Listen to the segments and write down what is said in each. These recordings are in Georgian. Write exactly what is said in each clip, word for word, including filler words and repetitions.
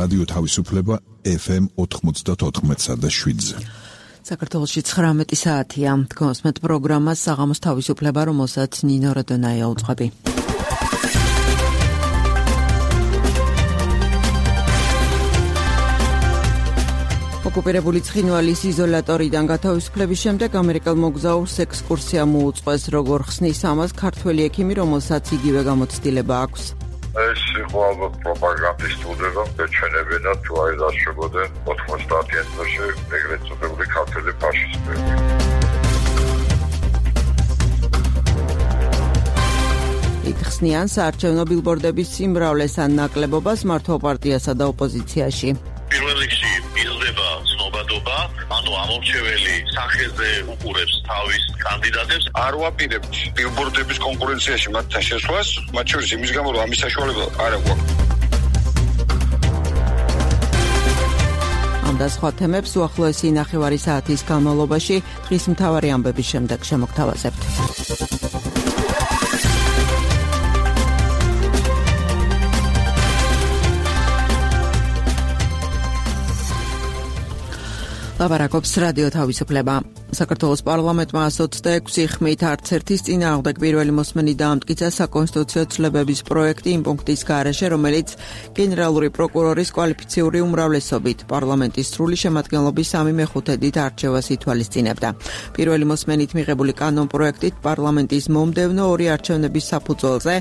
რადიო თავისუფლება ეფ ემ ოთხმოცდაოთხ და შვიდზე. საქართველოში ცხრამეტი საათია. გოსმეთ პროგრამას საღამოს თავისუფლება, რომელსაც ნინო როდონაია უძღვები. ოკუპირებული ცხინვალის იზოლატორიდან გათავისუფლების შემდეგ ამერიკელ მოგზაურს ექსკურსია მოუწყვეს, როგორ ხსნის ამას ქართველი ექიმი, რომელსაც იგივე გამოცდილება აქვს. ეს იყო ალბათ პროპაგანდისტული, რომ ეჩვენებინათ თუ არ დაშვებოდნენ ოთხმოცდაათიან წელში ეგრეთ წოდებული ქართველი ფაშისტები. იხსნიან საარჩევნო ბილბორდების სიმრავლეს ან ნაკლებობას მართვა პარტიასა და ოპოზიციაში. პირველ რიგში იზრდება ცნობადობა, ანუ ამორჩეველი სახეზე უყურებს თავის კანდიდატებს. არ ვაპირებთ ბილბორდების კონკურენციაში მათთან შესვლას, მათ შორის იმის გამო, რომ ამის საშუალება არ აქვს. ამ და სხვა თემებს უახლოესი ნახევარი საათის განმავლობაში დღის მთავარი ამბების შემდეგ შემოგთავაზებთ. ლაპარაკობს რადიო თავისუფლება. საქართველოს პარლამენტმა εκατს ოცდაექვსი ხმით არც ერთის წინააღმდეგ პირველი მოსმენი დაამტკიცა საკონსტიტუციო ცვლილებების პროექტი იმ პუნქტის გარეშე, რომელიც გენერალური პროკურორის კვალიფიციური უმრავლესობით პარლამენტის სრული შემადგენლობის სამი მეხუთედით არჩევას ითვალისწინებდა. პირველი მოსმენით მიღებული კანონპროექტით პარლამენტის მომდევნო ორი არჩევნების საფუძველზე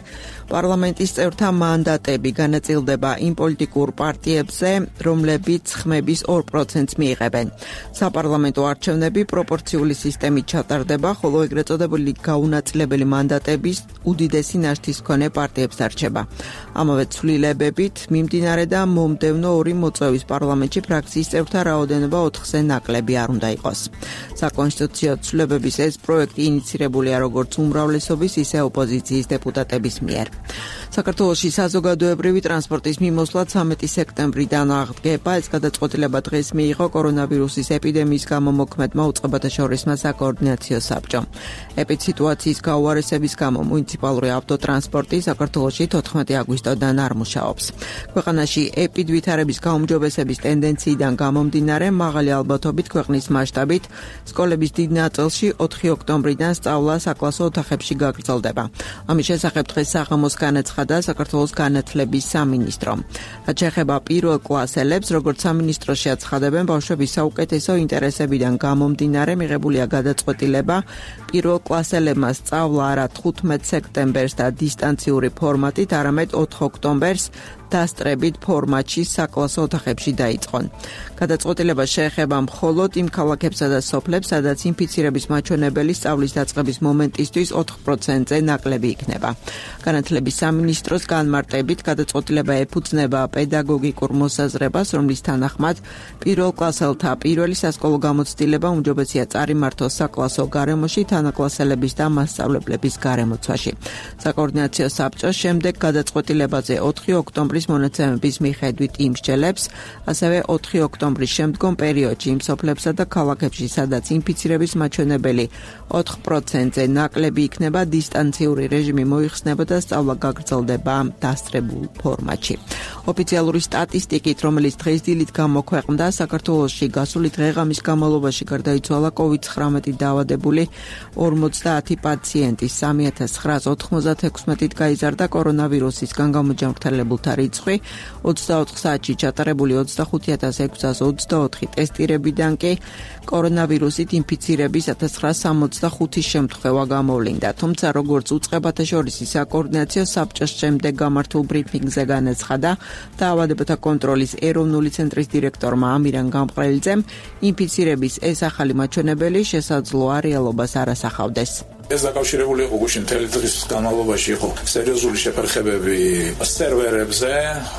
პარლამენტის წევრთა მანდატები განაწილდება იმ პოლიტიკურ პარტიებზე, რომლებიც ხმების ორ პროცენტს მიიღებენ. საპარლამენტო არჩევნები პროპორციული სისტემით ჩატარდება, ხოლო ეგრეთ წოდებული გაუნაწილებელი მანდატების უდიდესი ნაშთის მქონე პარტიებს დარჩება. ამავე ცვლილებებით მიმდინარე და მომდევნო ორი მოწვევის პარლამენტში ფრაქციის წევრთა რაოდენობა ოთხზე ნაკლები არ უნდა იყოს. საკონსტიტუციო ცვლილებების ეს პროექტი ინიცირებულია როგორც უმრავლესობის, ისე ოპოზიციის დეპუტატების მიერ. საქართველოში საზოგადოებრივი ტრანსპორტის მიმოსვლა ცამეტი სექტემბრიდან აღდგება. ეს გადაწყვეტილება დღეს მიიღო კორონავირუსის ეპიდემიის გამო მოქმედმა უწყებათა შორისმა საკოორდინაციო საბჭომ. ეპიდსიტუაციის გაუარესების გამო მუნიციპალური ავტოტრანსპორტი საქართველოში თოთხმეტი აგვისტოდან არ მუშაობს. ქვეყანაში ეპიდვითარების გაუმჯობესების ტენდენციიდან გამომდინარე, მაღალი ალბათობით ქვეყნის მასშტაბით სკოლების დიდ ნაწილში ოთხი ოქტომბრიდან სწავლა საკლასო ოთახებში გაგრძელდება. ამის შესახებ დღეს საღამოს განაცხადა საქართველოს განათლების სამინისტრო. რაც შეეხება პირველ კლასელებს, როგორც სამინისტროში აცხადებენ, ბავშვების საუკეთესო ინტერესებიდან გამომდინარე მიღებულია გადაწყვეტილება პირველ კლასელებმა სწავლა არა თხუთმეტ სექტემბერს და დისტანციური ფორმატით, არამედ ოთხ ოქტომბერს დასწრებით ფორმატში საკლასო ოთახებში დაიწყონ. გადაწყვეტილება შეეხება მხოლოდ იმ ქალაქებსა და სოფლებს, სადაც ინფიცირების მაჩვენებელი სწავლის დაწყების მომენტისთვის ოთხ პროცენტზე ნაკლები იქნება. განათლების სამინისტროს განმარტებით გადაწყვეტილება ეფუძნება პედაგოგიკურ მოსაზრებას, რომლის თანახმად პირველ კლასელთა პირველი სასკოლო გამოცდილება უმჯობესია წარიმართოს საკლასო გარემოში თანაკლასელების და მასწავლებლების გარემოცვაში. საკოორდინაციო საბჭოს შემდეგ გადაწყვეტილებაზე ოთხი ოქტომბრის მონაცემების მიხედვით იმსჯელებს, ასევე ოთხი ოქტომბრის შემდგომ პერიოდში იმ სოფლებსა და ქალაქებში, სადაც ინფიცირების მაჩვენებელი ოთხ პროცენტზე ნაკლები იქნება, დისტანციური რეჟიმი მოიხსნება და სწავლა გაგრძელდება დასწრებულ ფორმატში. ოფიციალური სტატისტიკით, რომელიც დღესდილით გამოქვეყნდა, საქართველოში გასული დღე-ღამის განმავლობაში გარდაიცვალა კოვიდ ცხრამეტი დაავადებული ორმოცდაათი პაციენტი, სამი ათას ცხრაას ოთხმოცდათექვსმეტით გაიზარდა კორონავირუსისგან გამოჯანმრთელებულთა რიცხვი, ოცდაოთხ საათში ჩატარებული ოცდახუთი ათას ექვსას ოცდაოთხი ტესტირებიდან კი კორონავირუსით ინფიცირების ათას ცხრაას სამოცდახუთი შემთხვევა გამოვლინდა. თუმცა, როგორც უწყებათა შორისი საკოორდინაციო საბჭოს შემდეგ გამართულ ბრიფინგზე განაცხადა, დაავადებათა კონტროლის ეროვნული ცენტრის დირექტორმა ამირან გამყრელიძემ, ინფიცირების ეს ახალი მაჩვენებელი შესაძლოა რეალობას არ ასახავდეს. ეს დაკავშირებული იყო გუშინ მთელი დღის განმავლობაში იყო სერიოზული შეფერხებები სერვერებზე,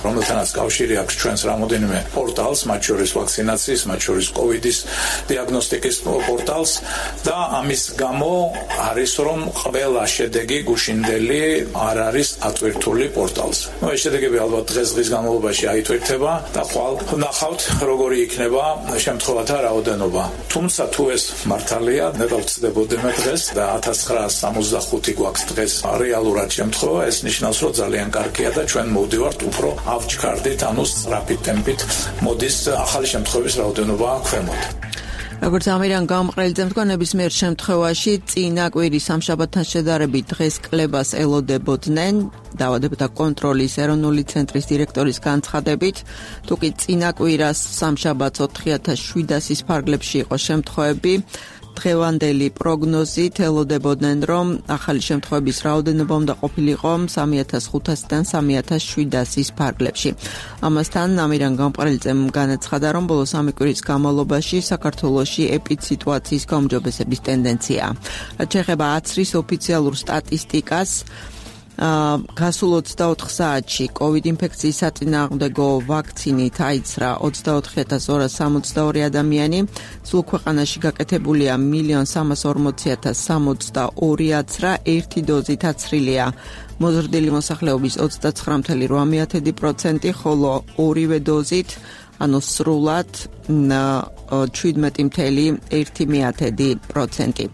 რომელთანაც კავშირი აქვს ჩვენს რამოდენიმე პორტალს, მათ შორის ვაქცინაციის, მათ შორის კოვიდის დიაგნოსტიკის პორტალს და ამის გამო არის რომ ყველა შედეგი გუშინდელი არ არის ატვირთული პორტალს. ნუ ეს შედეგები ალბათ დღეს დღის განმავლობაში აიტვირთება და ხვალ ნახავთ როგორი იქნება შემთხვევათა რაოდენობა. თუმცა თუ ეს მართალია, ნეტავ ვწდებოდემ დღეს და ათას ოცდაცხრა სამოცდახუთი გვაქვს დღეს რეალურად შემთხვევა, ეს ნიშნავს, რომ ძალიან კარგია და ჩვენ მოვდივართ უფრო ავჩქარდით, ანუ სწრაფი ტემპით მოდის ახალი შემთხვევების რაოდენობა ქვემოთ. როგორც ამირან გამყრელიძემ თქვა, ნებისმიერ შემთხვევაში წინა კვირის სამშაბათთან შედარებით დღეს კლებას ელოდებოდნენ დაავადებათა კონტროლის ეროვნული ცენტრის დირექტორის განცხადებით. თუკი წინა კვირას სამშაბათს ოთხი ათას შვიდასის ფარგლებში იყო შემთხვევები, დღევანდელი პროგნოზით ელოდებოდნენ, რომ ახალი შემთხვევების რაოდენობა უნდა ყოფილიყო სამი ათას ხუთასიდან სამი ათას შვიდასის ფარგლებში. ამასთან ამირან გამყრელიძემ განაცხადა, რომ ბოლო სამი კვირის განმავლობაში საქართველოში ეპიდსიტუაციის გაუმჯობესების ტენდენციაა. რაც შეეხება აცრის ოფიციალურ სტატისტიკას, გასულ ოცდაოთხ საათში COVID ინფექციის საწინააღმდეგო ვაქცინით აიცრა ოცდაოთხი ათას ორას სამოცდაორი ადამიანი, სულ ქვეყანაში გაკეთებულია მილიონ სამას ორმოცი ათას სამოცდაორი აცრა, ერთი დოზით აცრილია მოზრდილი მოსახლეობის ოცდაცხრა მცდარი რვა პროცენტი, ხოლო ორივე დოზით, ანუ სრულად შვიდმეტი მცდარი ერთი პროცენტი.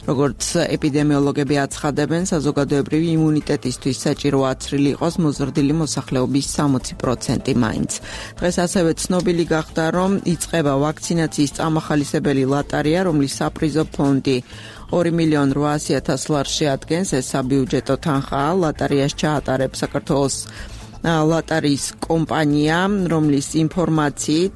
როგორც ეპიდემიოლოგები აცხადებენ, საზოგადოებრივი იმუნიტეტისთვის საჭირო აცრილი იყოს მოზრდილი მოსახლეობის სამოცი პროცენტი მაინც. დღეს ასევე ცნობილი გახდა, რომ იწყება ვაქცინაციის წამახალისებელი ლატარია, რომლის საპრიზო ფონდი ორი მილიონი რვაასი ათას ლარს შეადგენს. ეს საბიუჯეტო თანხაა. ლატარიას ჩაატარებს საქართველოს ლატარიის კომპანია, რომლის ინფორმაციით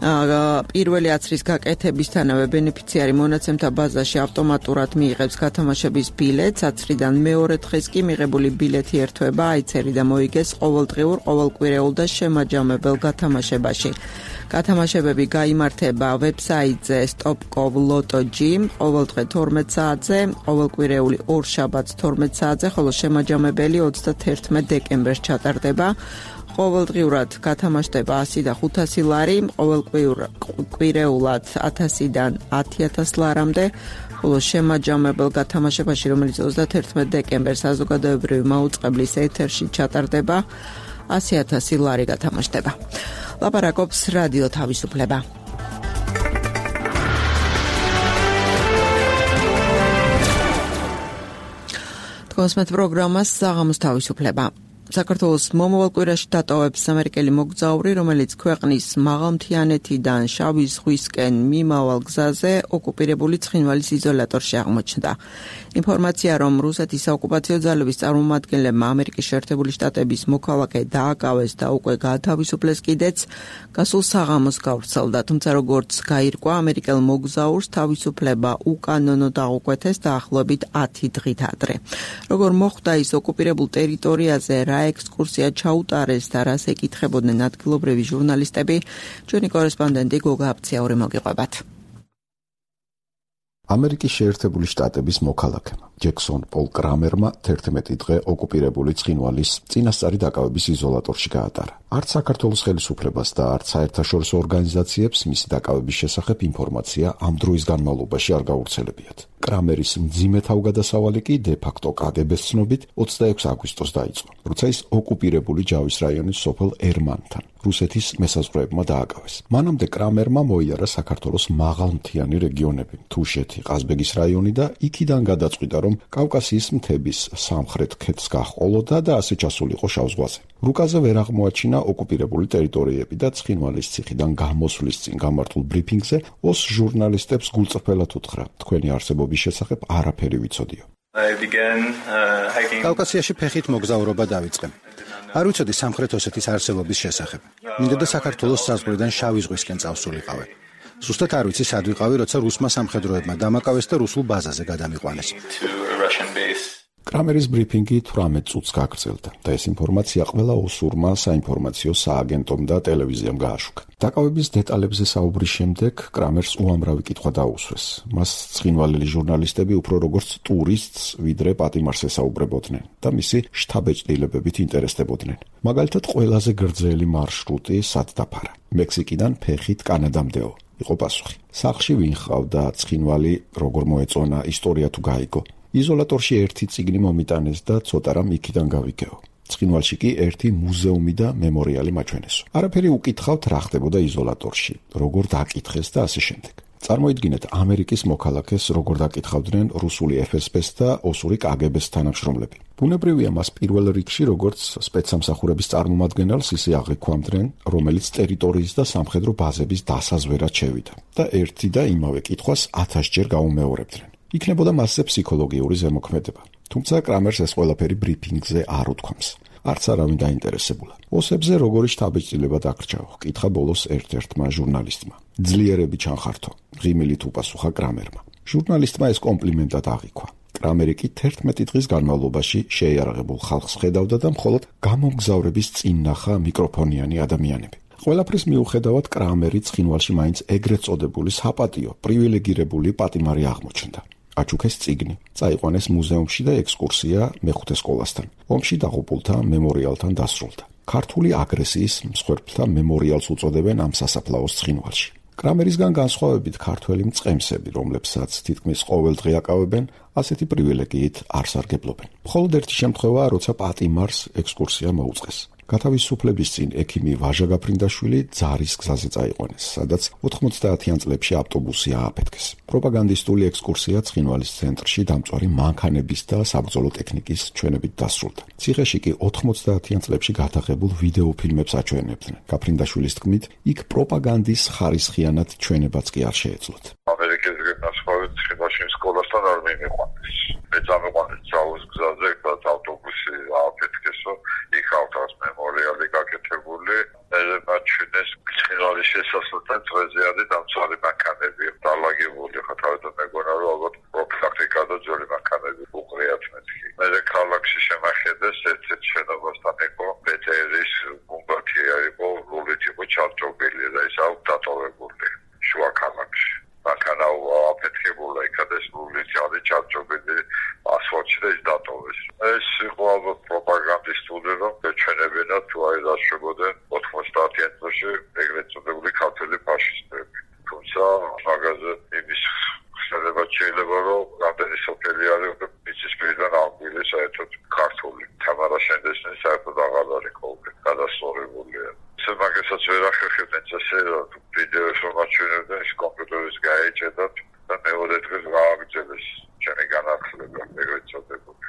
პირველი აცრის გაკეთებისთანავე ბენეფიციარი მონაცემთა ბაზაში ავტომატურად მიიღებს გათამაშების ბილეთს, აცრიდან მეორე დღეს კი მიღებული ბილეთი ერთვება აიცერი და მოიგეს ყოველდღიურ, ყოველკვირეულ და შემაჯამებელ გათამაშებაში. გათამაშებები გაიმართება ვებსაიტზე stop.com loto.g ყოველდღე თორმეტ საათზე, ყოველკვირეული ორ შაბათს თორმეტ საათზე, ხოლო შემაჯამებელი ოცდათერთმეტ დეკემბერს ჩატარდება. ყოველდღიურად გათამაშდება ასი და ხუთასი ლარი, ყოველკვირეულად ათასიდან ათი ათას ლარამდე, ხოლო შემაჯამებელ გათამაშებაში, რომელიც ოცდათერთმეტ დეკემბერს საზოგადოებრივი მაუწყებლის ეთერში ჩატარდება, ასი ათასი ლარი გათამაშდება. ლაპარაკობს რადიო თავისუფლება. თქვენს პროგრამას საღამოს თავისუფლება. საქართველოს მომავალ კვირაში დატოვებს ამერიკელი მოგზაური, რომელიც ქვეყნის მაღალმთიანეთიდან შავი ზღვისკენ მიმავალ გზაზე ოკუპირებული ცხინვალის იზოლატორში აღმოჩნდა. ინფორმაცია, რომ რუსეთის საოკუპაციო ძალების წარმომადგენლებმა ამერიკის შეერთებული შტატების მოქალაქე დააკავეს და უკვე გაათავისუფლეს კიდეც, გასულ საღამოს გავრცელდა, თუმცა როგორც გაირკვა, ამერიკელ მოგზაურს თავისუფლება უკანონო დაუკვეთეს დაახლოებით ათი დღით ადრე. როგორ მოხდა ის ოკუპირებულ ტერიტორიაზე, რა ექსკურსია ჩაუტარეს და რას ეკითხებოდნენ ადგილობრივი ჟურნალისტები, ჩვენი კორესპონდენტი გოგა აფციური მოგიყვებათ. ამერიკის შეერთებული შტატების მოქალაქემა ჯექსონ პოლ კრამერმა თერთმეტი დღე ოკუპირებული ცხინვალის წინასწარი დაკავების იზოლატორში გაატარა. არც საქართველოს ხელისუფლებას და არც საერთაშორისო ორგანიზაციებს მისი დაკავების შესახებ ინფორმაცია ამ დროის განმავლობაში არ გავრცელებიათ. კრამერის მძიმე თავგადასავალი კი დე-ფაქტო კაგებეს ცნობით ოცდაექვსი აგვისტოს დაიწყო, როცა ის ოკუპირებული ჯავის რაიონის სოფელ ერმანთან რუსეთის მესაზღვრეებმა დააკავეს. მანამდე კრამერმა მოიარა საქართველოს მაღალმთიანი რეგიონები, თუშეთი, ყაზბეგის რაიონი და იქიდან გადაწყვიტა, რომ კავკასიის მთების სამხრეთ ქედს გაჰყოლოდა და ასე ჩასულიყო შავ ზღვაზე. რუკაზე ვერ აღმოაჩინა ოკუპირებული ტერიტორიები და ცხინვალის ციხიდან გამოსვლის წინ გამართულ ბრიფინგზე ოს ჟურნალისტებს გულწრფელად უთხრა, თქვენი არსებობის შესახებ არაფერი ვიცოდიო. კავკასიაში ფეხით მოგზაურობა დავიწყე. არ ვიცოდი სამხრეთ ოსეთის არსებობის შესახებ. მინდოდა საქართველოს საზღვრიდან შავი ზღვისკენ წავსულიყავი. ზუსტად არ ვიცი სად ვიყავი, როცა რუსმა სამხედროებმა დამაკავეს და რუსულ ბაზაზე გადამიყვანეს. კრამერის ბრიფინგი თვრამეტ წუთს გაგრძელდა და ეს ინფორმაცია ყველა ოსურმა საინფორმაციო სააგენტომ და ტელევიზიამ გააშუქა. დაკავების დეტალებზე საუბრის შემდეგ კრამერს უამრავი კითხვა დაუსვეს. მას ცხინვალელი ჟურნალისტები უფრო როგორც ტურისტს, ვიდრე პატიმარს ესაუბრებოდნენ და მისი შთაბეჭდილებებით ინტერესდებოდნენ. მაგალითად, ყველაზე გრძელი მარშრუტი სად დაფარა? მექსიკიდან ფეხით კანადამდეო. იყო პასუხი. სახლში ვინ ჰყავდა, ცხინვალი როგორ მოეწონა, ისტორია თუ გაიგო. იზოლატორში ერთი წიგნი მომიტანეს და ცოტა რამ იქიდან გავიგეო. ცხინვალში კი ერთი მუზეუმი და მემორიალი მაჩვენესო. არაფერი უკითხავთ რა ხდებოდა იზოლატორში, როგორ დაკითხეს და ასე შემდეგ. წარმოიდგინეთ, ამერიკის მოქალაქეს როგორ დაკითხავდნენ რუსული ეფ ეს ბეს და ოსური კა გი ბეს თანამშრომლები. ბუნებრივია, მას პირველ რიგში როგორც სპეცსამსახურების წარმომადგენელს ისე აღიქვამდნენ, რომელიც ტერიტორიის და სამხედრო ბაზების დასაზვერად შევიდა და ერთი და იმავე კითხვას ათასჯერ გაუმეორებდნენ. იქნებოდა მასზე ფსიქოლოგიური ზემოქმედება. თუმცა კრამერს ეს ყველაფერი ბრიფინგზე არ უთქვამს. არც არავინ დაინტერესებულა. ოსებზე როგორი შთაბეჭდილება დაგრჩაო? კითხა ბოლოს ერთ-ერთმა ჟურნალისტმა. ძლიერები ჩანხართო, ღიმილით უპასუხა კრამერმა. ჟურნალისტმა ეს კომპლიმენტად აღიქვა. კრამერი კი თერთმეტი დღის განმავლობაში შეიარაღებულ ხალხს ხედავდა და მხოლოდ გამომგზავრების წინ ნახა მიკროფონიანი ადამიანები. ყველაფრის მიუხედავად კრამერი ცხინვალში მაინც ეგრეთ წოდებული საპატიო, პრივილეგირებული პატიმარი აღმოჩნდა. აჩუქეს წიგნი, წაიყვანეს მუზეუმში და ექსკურსია მეხუთე სკოლასთან. ომში დაღუპულთა მემორიალთან დასრულდა. ქართული აგრესიის მსხვერპლთა მემორიალს უწოდებენ ამ სასაფლაოს ცხინვალში. კრამერისგან განსხვავებით ქართველი მწყემსები, რომლებსაც თითქმის ყოველდღე აკავებენ, ასეთი პრივილეგიით არ სარგებლობენ. მხოლოდ ერთი შემთხვევაა, როცა პატიმარს ექსკურსია მოუწყეს. გათავისუფლების წინ ექიმი ვაჟა გაფრინდაშვილი ძარის გზაზე წაიყვანეს, სადაც ოთხმოცდაათიან წლებში ავტობუსი ააფეთქეს. პროპაგანდისტული ექსკურსია ცხინვალის ცენტრში დამწვარი მანქანების და საბრძოლო ტექნიკის ჩვენებით დასრულდა. ციხეში კი ოთხმოცდაათიან წლებში გადაღებულ ვიდეო ფილმებს აჩვენებდნენ. გაფრინდაშვილის თქმით, იქ პროპაგანდის ხარისხიანად ჩვენებაც კი არ შეეძლოთ. ამერიკის განსხვავებით ცხინვალში სკოლასთან არ მიყვანეს. მე წამიყვანეს ძაუს გზაზე, რაც ავტობუსი ააფეთქესო, იქ ავტოს მემორიალი გაკეთებული, ეძებაჩინეს ცხინვალის შესასვლელთან წვეზე არის დამცვარი მანქანები დალაგებული, ხა თავიდან მეგონა რომ ალბათ პროფილაქტიკა და ძველი მანქანები უყრიათ მეთქი. მე ქალაქში შემახედეს ერთ-ერთ შენობასთან იყო ბეტერის გუმბათი იყო, რულით იყო ჩარჭობილი და ის აუ დატოვებული შუა ქალაქში. მანქანა ააფეთქებულა, იქადეს რულით არის ჩარჭობილი ასფალტში და ის დატოვეს. ეს იყო ალბათ პროპაგანდისტული, რომ ეჩვენებინათ თუ აი დაშვებოდნენ ოთხმოცდაათიან წლებში ეგრეთ წოდებული ქართველი ფაშისტები. თუმცა მაგაზე იმის ხსენება შეიძლება, რომ რამდენი სოფელი არის მიწის პირიდან აღგვილი საერთოდ ქართული. თამარა შენდესნის საერთოდ აღარ არის ყოველი გადასწორებულია. ესე მაგასაც ვერ ახერხებდნენ წესე, რომ ვიდეოს რომ აჩვენებდნენ, ის კომპიუტერის გაეჭედათ და მეორე დღეს გააგრძელეს ჩემი განახლება ეგრეთ წოდებული.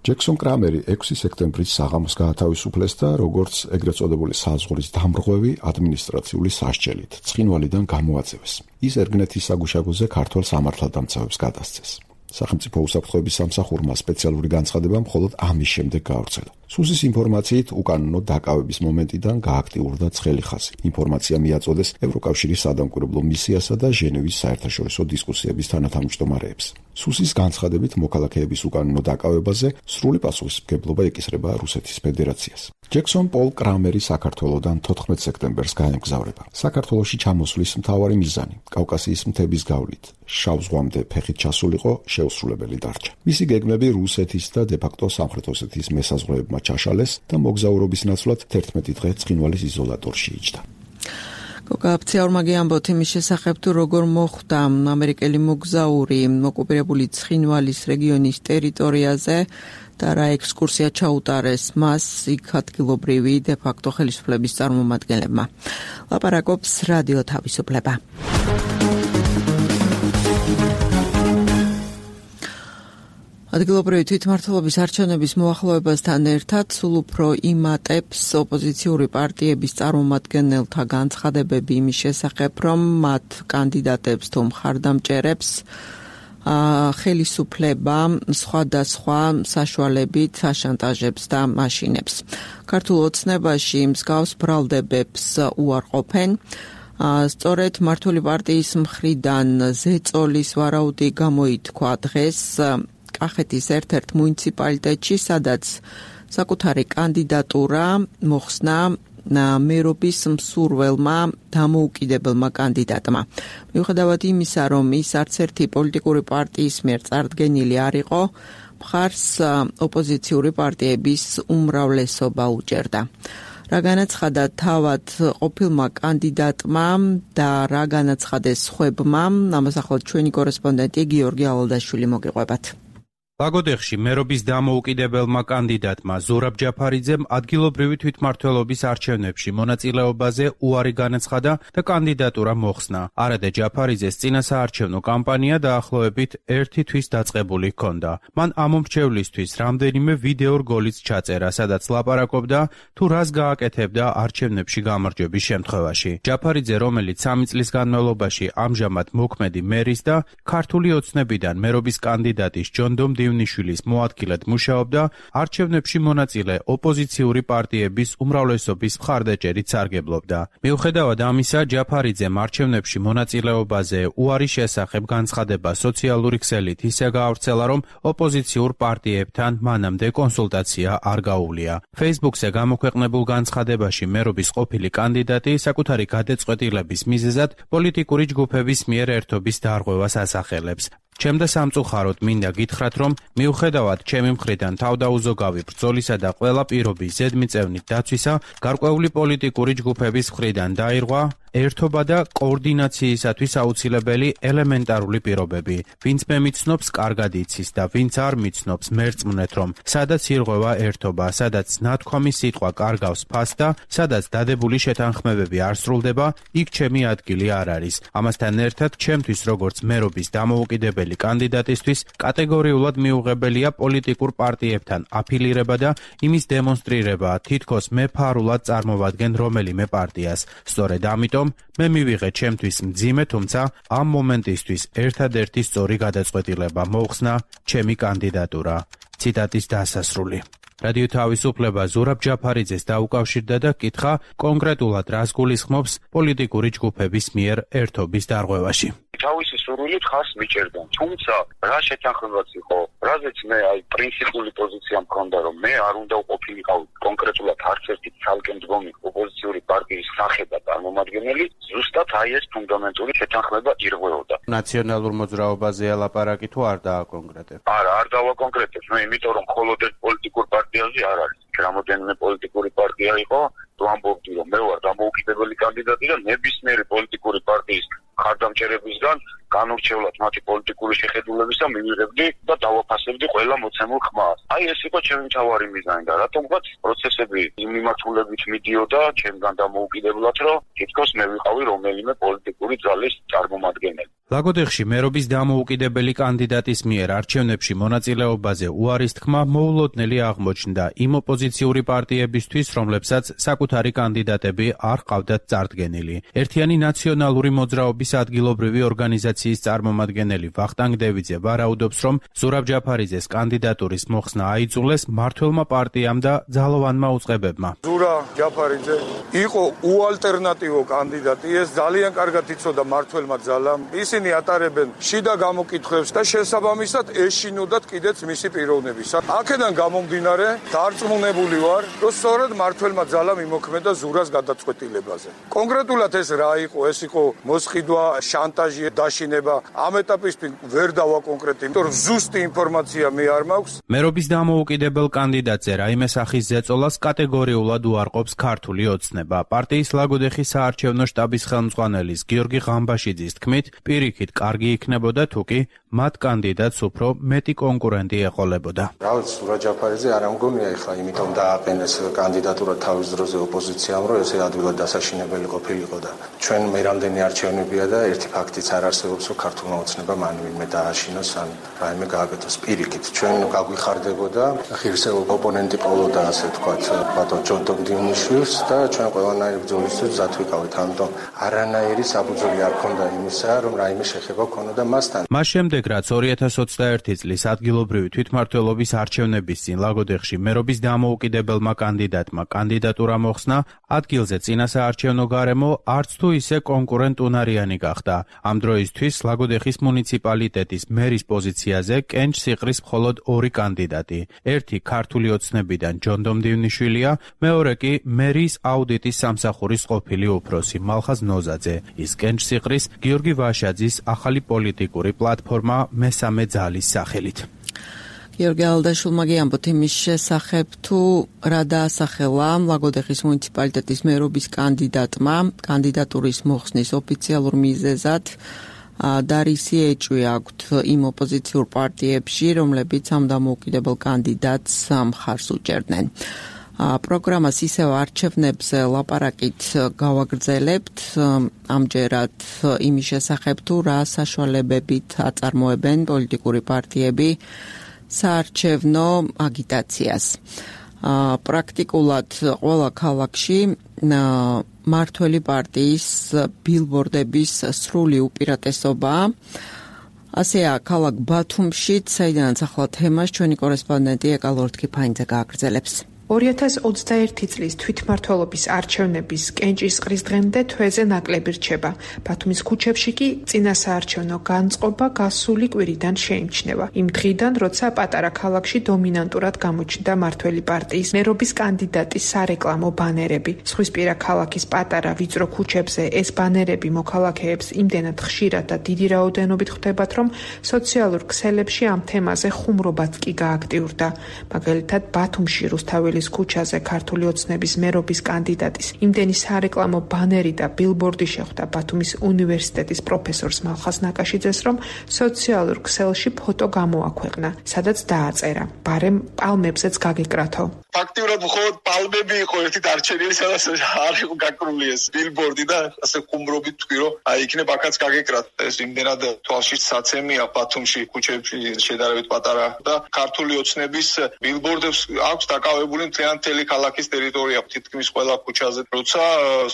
ჯექსონ კრამერი ექვსი სექტემბრის საღამოს გაათავისუფლეს და როგორც ეგრეთ წოდებული საზღვრის დამრღვევი ადმინისტრაციული სასჯელით ცხინვალიდან გამოაწევეს. ის ერგნეთის საგუშაგოზე ქართველ სამართალდამცავებს გადასცეს. სახელმწიფო უსაფრთხოების სამსახურმა სპეციალური განცხადება მხოლოდ ამის შემდეგ გაავრცელა. სუსის ინფორმაციით უკანონო დაკავების მომენტიდან გააქტიურდა ცხელი ხაზი. ინფორმაცია მიაწოდეს ევროკავშირის სადამკვირვებლო მისიასა და ჟენევის საერთაშორისო დისკუსიების თანათავმჯდომარეებს. სუსის განცხადებით მოქალაქეების უკანონო დაკავებაზე სრული პასუხისმგებლობა ეკისრება რუსეთის ფედერაციას. ჯექსონ პოლ კრამერი საქართველოდან თოთხმეტ სექტემბერს გაემგზავრება. საქართველოში ჩამოსვლის მთავარი მიზანი კავკასიის მთების გავლით შავ ზღვამდე ფეხით ჩასულიყო შეუსრულებელი დარჩა. მისი გეგმები რუსეთის და დე-ფაქტო სამხრეთ ოსეთის მესაზღვრეებმა ჩაშალეს და მოგზაურობის ნაცვლად თერთმეტი დღე ცხინვალის იზოლატორში იჯდა. გოგაფციაურმაგი ამბობთ იმის შესახებ, თუ როგორ მოხვდა ამერიკელი მოგზაური ოკუპირებული ცხინვალის რეგიონის ტერიტორიაზე და რა ექსკურსია ჩაუტარეს მას იქ ადგილობრივი დე-ფაქტო ხელისუფლების წარმომადგენლებმა. ლაპარაკობს რადიო თავისუფლება. ადგილობრივი თვითმმართველობის არჩევნების მოახლოებასთან ერთად სულ უფრო იმატებს ოპოზიციური პარტიების წარმომადგენელთა განცხადებები იმის შესახებ, რომ მათ კანდიდატებს თუ მხარდამჭერებს ხელისუფლება სხვადასხვა საშუალებით აშანტაჟებს და მაშინებს. ქართულ ოცნებაში მსგავს ბრალდებებს უარყოფენ. სწორედ მართული პარტიის მხრიდან ზეწოლის ვარაუდი გამოითქვა დღეს კახეთის ერთ-ერთ მუნიციპალიტეტში, სადაც საკუთარი კანდიდატურა მოხსნა მერობის მსურველმა დამოუკიდებელმა კანდიდატმა. მიუხედავად იმისა, რომ ის არც ერთი პოლიტიკური პარტიის მიერ წარდგენილი არ იყო, მხარს ოპოზიციური პარტიების უმრავლესობა უჭერდა. რა განაცხადა თავად ყოფილმა კანდიდატმა და რა განაცხადეს სხვებმა, ამას ახლა ჩვენი კორესპონდენტი გიორგი ალალდაშვილი მოგიყვებათ. ლაგოდეხში მერობის დამოუკიდებელმა კანდიდატმა ზურაბ ჯაფარიძემ ადგილობრივი თვითმმართველობის არჩევნებში მონაწილეობაზე უარი განაცხადა და კანდიდატურა მოხსნა. არადა ჯაფარიძეს წინასაარჩევნო კამპანია დაახლოებით ერთი თვის დაწყებული ჰქონდა. მან ამ მომრჩევლისთვის რამდენიმე ვიდეო რგოლიც ჩაწერა, სადაც ლაპარაკობდა თუ რას გააკეთებდა არჩევნებში გამარჯვების შემთხვევაში. ჯაფარიძე, რომელიც სამი წლის განმავლობაში ამჟამად მოქმედი მერის და ქართული ოცნებიდან მერობის კანდიდატის ჯონდომ ივნიშვილის მოადგილედ მუშაობდა, არჩევნებში მონაწილე ოპოზიციური პარტიების უმრავლესობის მხარდაჭერით სარგებლობდა. მიუხედავად ამისა, ჯაფარიძემ არჩევნებში მონაწილეობაზე უარის შესახებ განცხადება სოციალური ქსელით ისე გაავრცელა, რომ ოპოზიციურ პარტიებთან მანამდე კონსულტაცია არ გაუვლია. Facebook-ზე გამოქვეყნებულ განცხადებაში მერობის ყოფილი კანდიდატი საკუთარი გადაწყვეტილების მიზეზად პოლიტიკური ჯგუფების მიერ ერთობის დარღვევას ასახელებს. ჩემდა სამწუხაროდ მინდა გითხრათ, რომ მიუხედავად ჩემი მხრიდან თავდაუზოგავი ბრძოლისა და ყველა პირობის ზედმიწევნით დაცვისა, გარკვეული პოლიტიკური ჯგუფების მხრიდან დაირღვა ერთობა და კოორდინაციისათვის აუცილებელი ელემენტარული პირობები. ვინც მე მიცნობს, კარგად იცის და ვინც არ მიცნობს, მერწმუნეთ, რომ სადაც ირღვევა ერთობა, სადაც ნათქვამი სიტყვა კარგავს ფასს და სადაც დადებული შეთანხმებები არ სრულდება, იქ ჩემი ადგილი არ არის. ამასთან ერთად, ჩემთვის როგორც მერობის დამოუკიდებელი კანდიდატისთვის კატეგორიულად მიუღებელია პოლიტიკურ პარტიებთან აფილირება და იმის დემონსტრირება, თითქოს მე ფარულად წარმოვადგენ რომელიმე პარტიას. სწორედ ამიტომ მე მივიღე ჩემთვის მძიმე, თუმცა ამ მომენტისთვის ერთადერთი სწორი გადაწყვეტილება მოხსნა ჩემი კანდიდატურა. ციტატის დასასრული. რადიო თავისუფლება ზურაბ ჯაფარიძეს დაუკავშირდა და კითხა კონკრეტულად რას გულისხმობს პოლიტიკური ჯგუფების მიერ ერთობის დარღვევაში. თავისი სურვილით ხარს მიჭერდა. თუმცა რა შეთანხმებაც იყო, რაზეც მე აი პრინციპული პოზიცია მქონდა, რომ მე არ უნდა ვყოფილიყავ კონკრეტულად არც ერთი ცალკე მდგომი ოპოზიციური პარტიის სახე და წარმომადგენელი, ზუსტად აი ეს ფუნდამენტური შეთანხმება ირღვეოდა. ნაციონალურ მოძრაობაზე ლაპარაკი თუ არ დააკონკრეტებ? არა, არ დავაკონკრეტებ. მე იმიტომ რომ მხოლოდ ერთ პოლიტიკურ პარტიაზე არ არის. რამოდენიმე პოლიტიკური პარტია იყო, თუ ამბობდი რომ მე ვარ დამოუკიდებელი კანდიდატი და ნებისმიერი პოლიტიკური პარტიის ხარდამჭერებისგან განურჩევლად მათი პოლიტიკური შეხედულებისა მივიღებდი და დავაფასებდი ყველა მოცემულ ხმას. აი ეს იყო ჩემი მთავარი მიზანი და რატომღაც პროცესები იმ მიმართულებით მიდიოდა ჩემგან დამოუკიდებლად, რომ თითქოს მე ვიყავი რომელიმე პოლიტიკური ძალის წარმომადგენელი. ლაგოდეხში მერობის დამოუკიდებელი კანდიდატის მიერ არჩევნებში მონაწილეობაზე უარის თქმა მოულოდნელი აღმოჩნდა იმ ოპოზიციური პარტიებისთვის, რომლებსაც საკუთარი კანდიდატები არ ყავდათ წარდგენილი. ერთიანი ნაციონალური მოძრაობის ადგილობრივი ორგანიზაციის წარმომადგენელი ვახტანგ დევიძე ვარაუდობს, რომ ზურაბ ჯაფარიძეს კანდიდატურის მოხსნა აიძულეს მმართველმა პარტიამ და ძალოვანმა უწყებებმა. ზურაბ ჯაფარიძე იყო უალტერნატივო კანდიდატი, ეს ძალიან კარგად იცოდა მმართველმა ძალამ. ისინი ატარებენ შიდა გამოკითხვებს და შესაბამისად ეშინოდათ კიდეც მისი პიროვნების. აქედან გამომდინარე, დარწმუნებული ვარ, რომ სწორედ მმართველმა ძალამ იმოქმედა ზურას გადაწყვეტილებაზე. კონკრეტულად ეს რა იყო? ეს იყო მოსყიდვა, შანტაჟი, დაშინება. ამ ეტაპისთვის ვერ დავაკონკრეტებ, იმიტომ რომ ზუსტი ინფორმაცია მე არ მაქვს. მერობის დამოუკიდებელ კანდიდატზე რაიმე სახის ზეწოლას კატეგორიულად უარყოფს ქართული ოცნება. პარტიის ლაგოდეხის საარჩევნო შტაბის ხელმძღვანელის გიორგი ღამბაშიძის თქმით, პირიქით კარგი იქნებოდა თუ კი მათ კანდიდატს უფრო მეტი კონკურენტი ეყოლებოდა. Რავით, ზურაბ ჯაფარიძე არ ამგონია ეხლა, იმიტომ დააყენეს კანდიდატურა თავის დროზე ოპოზიციამ, რომ ესე ადვილად დასაშინებელი ყოფილიყო და ჩვენ მე რამდენი არჩევნებია და ერთი ფაქტიც არ არსებობს, რომ ქართულმა ოცნებამ ან ვინმე დააშინოს ან რაიმე გააკეთოს. პირიქით, ჩვენ გაგვიხარდებოდა ღირსეულ ოპონენტი ყოლოდა, ასე ვთქვათ, ბატონ ჯონდომ ივნიშვილს და ჩვენ ყველანაირი ბრძოლისთვის მზად ვიყავით. ამიტომ არანაირი საფუძველი არ ქონდა იმისა, რომ რაიმე შეხება ქონოდა მასთან. მას შემდეგ, რაც ორი ათას ოცდაერთი წლის ადგილობრივი თვითმმართველობის არჩევნების წინ ლაგოდეხში მერობის დამოუკიდებელმა კანდიდატმა კანდიდატურა მოხსნა, ადგილზე წინასაარჩევნო გარემო არც თუ ისე კონკურენტუნარიანი გახდა. ამ დროისთვის ლაგოდეხის მუნიციპალიტეტის მერის პოზიციაზე კენჭ სიყრის მხოლოდ ორი კანდიდატი. ერთი ქართული ოცნებიდან ჯონდომ ივნიშვილია, მეორე კი მერის აუდიტის სამსახურის ყოფილი უფროსი მალხაზ ნოზაძე. ის კენჭ სიყრის გიორგი ვაშაძის ახალი პოლიტიკური პლატფორმა მესამე ძალის სახელით. გიორგი ალდაშულმა გიამბოთ იმის შესახებ, თუ რა დაასახელა ლაგოდეხის მუნიციპალიტეტის მერობის კანდიდატმა კანდიდატურის მოხსნის ოფიციალურ მიზეზად, დარისი ეჭვი აქვთ იმ ოპოზიციურ პარტიებში, რომლებიც ამ დამოუკიდებელ კანდიდატს მხარს უჭერდნენ. პროგრამას ისევ არჩევნებზე ლაპარაკით გავაგრძელებთ, ამჯერად იმის შესახებ თუ რა საშუალებებით აწარმოებენ პოლიტიკური პარტიები საარჩევნო აგიტაციას. პრაქტიკულად ყველა ქალაქში მართველი პარტიის ბილბორდების სრული უპირატესობაა. ასეა ქალაქ ბათუმშიც, საიდანაც ახლა თემას ჩვენი კორესპონდენტი ეკა ლორთქიფაინძე გააგრძელებს. ორი ათას ოცდაერთი წლის თვითმმართველობის არჩევნების კენჭისყრის დღემდე თვეზე ნაკლები რჩება. ბათუმის ქუჩებში კი წინასაარჩევნო განწყობა გასული კვირიდან შეიმჩნევა. იმ დღიდან, როცა პატარა ქალაქში დომინანტურად გამოჩნდა მართველი პარტიის მერობის კანდიდატის სარეკლამო ბანერები. ზღვისპირა ქალაქის პატარა ვიწრო ქუჩებზე ეს ბანერები მოქალაქეებს იმდენად ხშირად და დიდი რაოდენობით ხვდებათ, რომ სოციალურ ქსელებში ამ თემაზე ხუმრობაც კი გააქტიურდა. მაგალითად, ბათუმში რუსთაველის ქუჩაზე ქართული ოცნების მერობის კანდიდატის იმდენი სარეკლამო ბანერი და ბილბორდი შეხვდა ბათუმის უნივერსიტეტის პროფესორს მალხაზ ნაკაშიძეს, რომ სოციალურ ქსელში ფოტო გამოაქვეყნა, სადაც დააწერა: "ბარემ პალმებზეც გაგეკრათო". ფაქტიურად მხოლოდ პალმები იყო ერთი დარჩენილი, სადაც არ იყო გაკრული ეს ბილბორდი და ასე ხუმრობით თქვი, რომ აი იქნებ აქაც გაგეკრათ. ეს იმდენად თვალში საცემია ბათუმში ქუჩებში შედარებით პატარა და ქართული ოცნების ბილბორდებს აქვს დაკავებული მთლიან მთელი ქალაქის ტერიტორია, თითქმის ყველა ქუჩაზე, როცა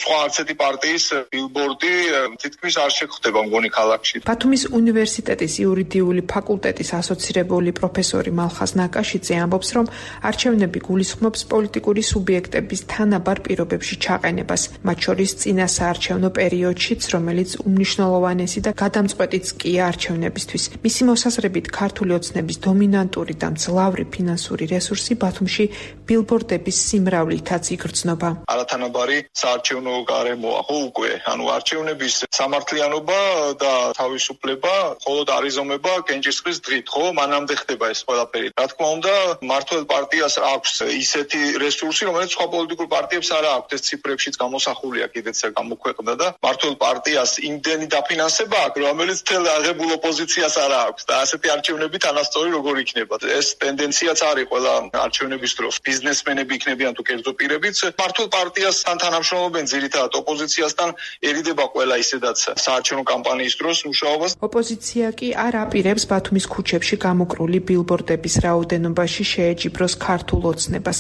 სხვა არც ერთი პარტიის ბილბორდი თითქმის არ შეხვდება მგონი ქალაქში. ბათუმის უნივერსიტეტის იურიდიული ფაკულტეტის ასოცირებული პროფესორი მალხაზ ნაკაშიძე ამბობს, რომ არჩევნები გულისხმობს პოლიტიკური სუბიექტების თანაბარ პირობებში ჩაყენებას, მათ შორის წინასაარჩევნო პერიოდშიც, რომელიც უმნიშვნელოვანესი და გადამწყვეტიც კია არჩევნებისთვის. მისი მოსაზრებით, ქართული ოცნების დომინანტური და მძლავრი ფინანსური რესურსი ბათუმში ბილბორდების სიმრავლითაც იგრძნობა. არათანაბარი საარჩევნო გარემოა, ხო უკვე, ანუ არჩევნების სამართლიანობა და თავისუფლება მხოლოდ არიზომება კენჭისყრის დღით, ხო, მანამდე ხდება ეს ყველაფერი. რა თქმა უნდა, მართლ პარტიას აქვს ისეთი რესურსი, რომელიც სხვა პოლიტიკურ პარტიებს არ აქვს, ეს ციფრებშიც გამოსახულია, კიდეც გამოქვეყნდა და მართლ პარტიას იმდენი დაფინანსება აქვს, რომელიც თელ აღებულ ოპოზიციას არ აქვს და ასეთი არჩევნები თანასწორი როგორ იქნება. ეს ტენდენციაც არის ყველა არჩევნების დროს. ბიზნესმენები იქნებიან თუ კერძო პირებიც მართლ პარტიასთან თანამშრომლობენ ძირითადად ოპოზიციასთან, ერიდება ყველა ისედაც საარჩევნო კამპანიის დროს მუშაობას. ოპოზიცია კი არ აპირებს ბათუმის ქუჩებში გამოკრული ბილბორდების რაოდენობაში შეეჯიბროს ქართულ ოცნებას.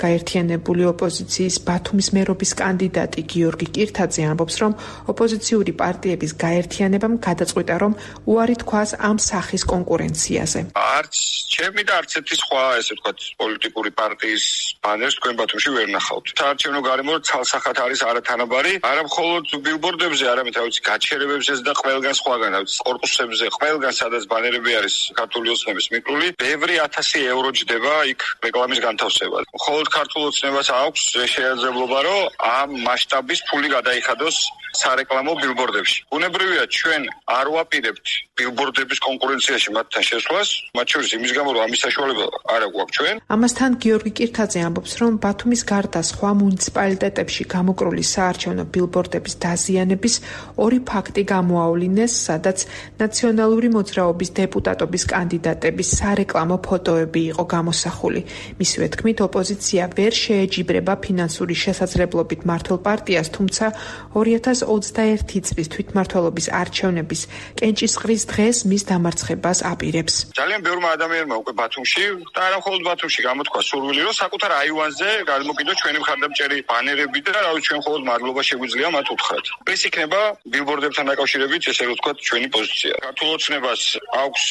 გაერთიანებული ოპოზიციის ბათუმის მერობის კანდიდატი გიორგი კირთაძე ამბობს, რომ ოპოზიციური პარტიების გაერთიანებამ გადაწყვიტა, რომ უარი თქვას ამ სახის კონკურენციაზე. არც ჩემი და არც ერთი სხვა ესე ვთქვათ პოლიტიკური პარტიის ბანერს თქვენ ბათუმში ვერ ნახავთ. საარჩევნო გარემო ცალსახად არის არათანაბარი, არა მხოლოდ ბილბორდებზე, არამედ თავის გაჩერებებზეც და ყველგან სხვაგან, კორპუსებზე, ყველგან სადაც ბანერები არის ქართული ოცნების მიკრული, ბევრი ათასი ევრო ჯდება იქ რეკლამის განთავსება. მხოლოდ ქართულ ოცნებას აქვს შესაძლებლობა, რომ ამ მასშტაბის ფული გადაიხადოს სარეკლამო ბილბორდებში. უნებრივია ჩვენ არ ვაპირებთ ბილბორდების კონკურენციაში მათთან შესვლას, მათ შორის იმის გამო, რომ ამის საშუალება არ აქვს ჩვენ. ამასთან გიორგი კირთაძე ამბობს, რომ ბათუმის გარდა სხვა მუნიციპალიტეტებში გამოკრული საარჩევნო ბილბორდების დაზიანების ორი ფაქტი გამოავლინეს, სადაც ნაციონალური მოძრაობის დეპუტატობის კანდიდატების სარეკლამო ფოტოები იყო გამოსახული. მისივე თქმით, ოპოზიცია ვერ შეეჯიბრება ფინანსური შესაძლებლობით მართლ პარტიას, თუმცა ორი ათას ოცდაერთი წლის თვითმმართველობის არჩევნების კენჭისყრის დღეს მის დამარცხებას აპირებს. ძალიან ბევრმა ადამიანმა უკვე ბათუმში და არა მხოლოდ ბათუმში გამოთქვა სურვილი, რომ საკუთარ აივანზე გადმოკიდოს ჩვენი მხარდამჭერი ბანერები და რა ვიცი ჩვენ მხოლოდ მადლობა შეგვიძლია მათ უთხრათ. ეს იქნება ბილბორდებთან დაკავშირებით, ესე რომ ვთქვათ, ჩვენი პოზიცია. ქართულ ოცნებას აქვს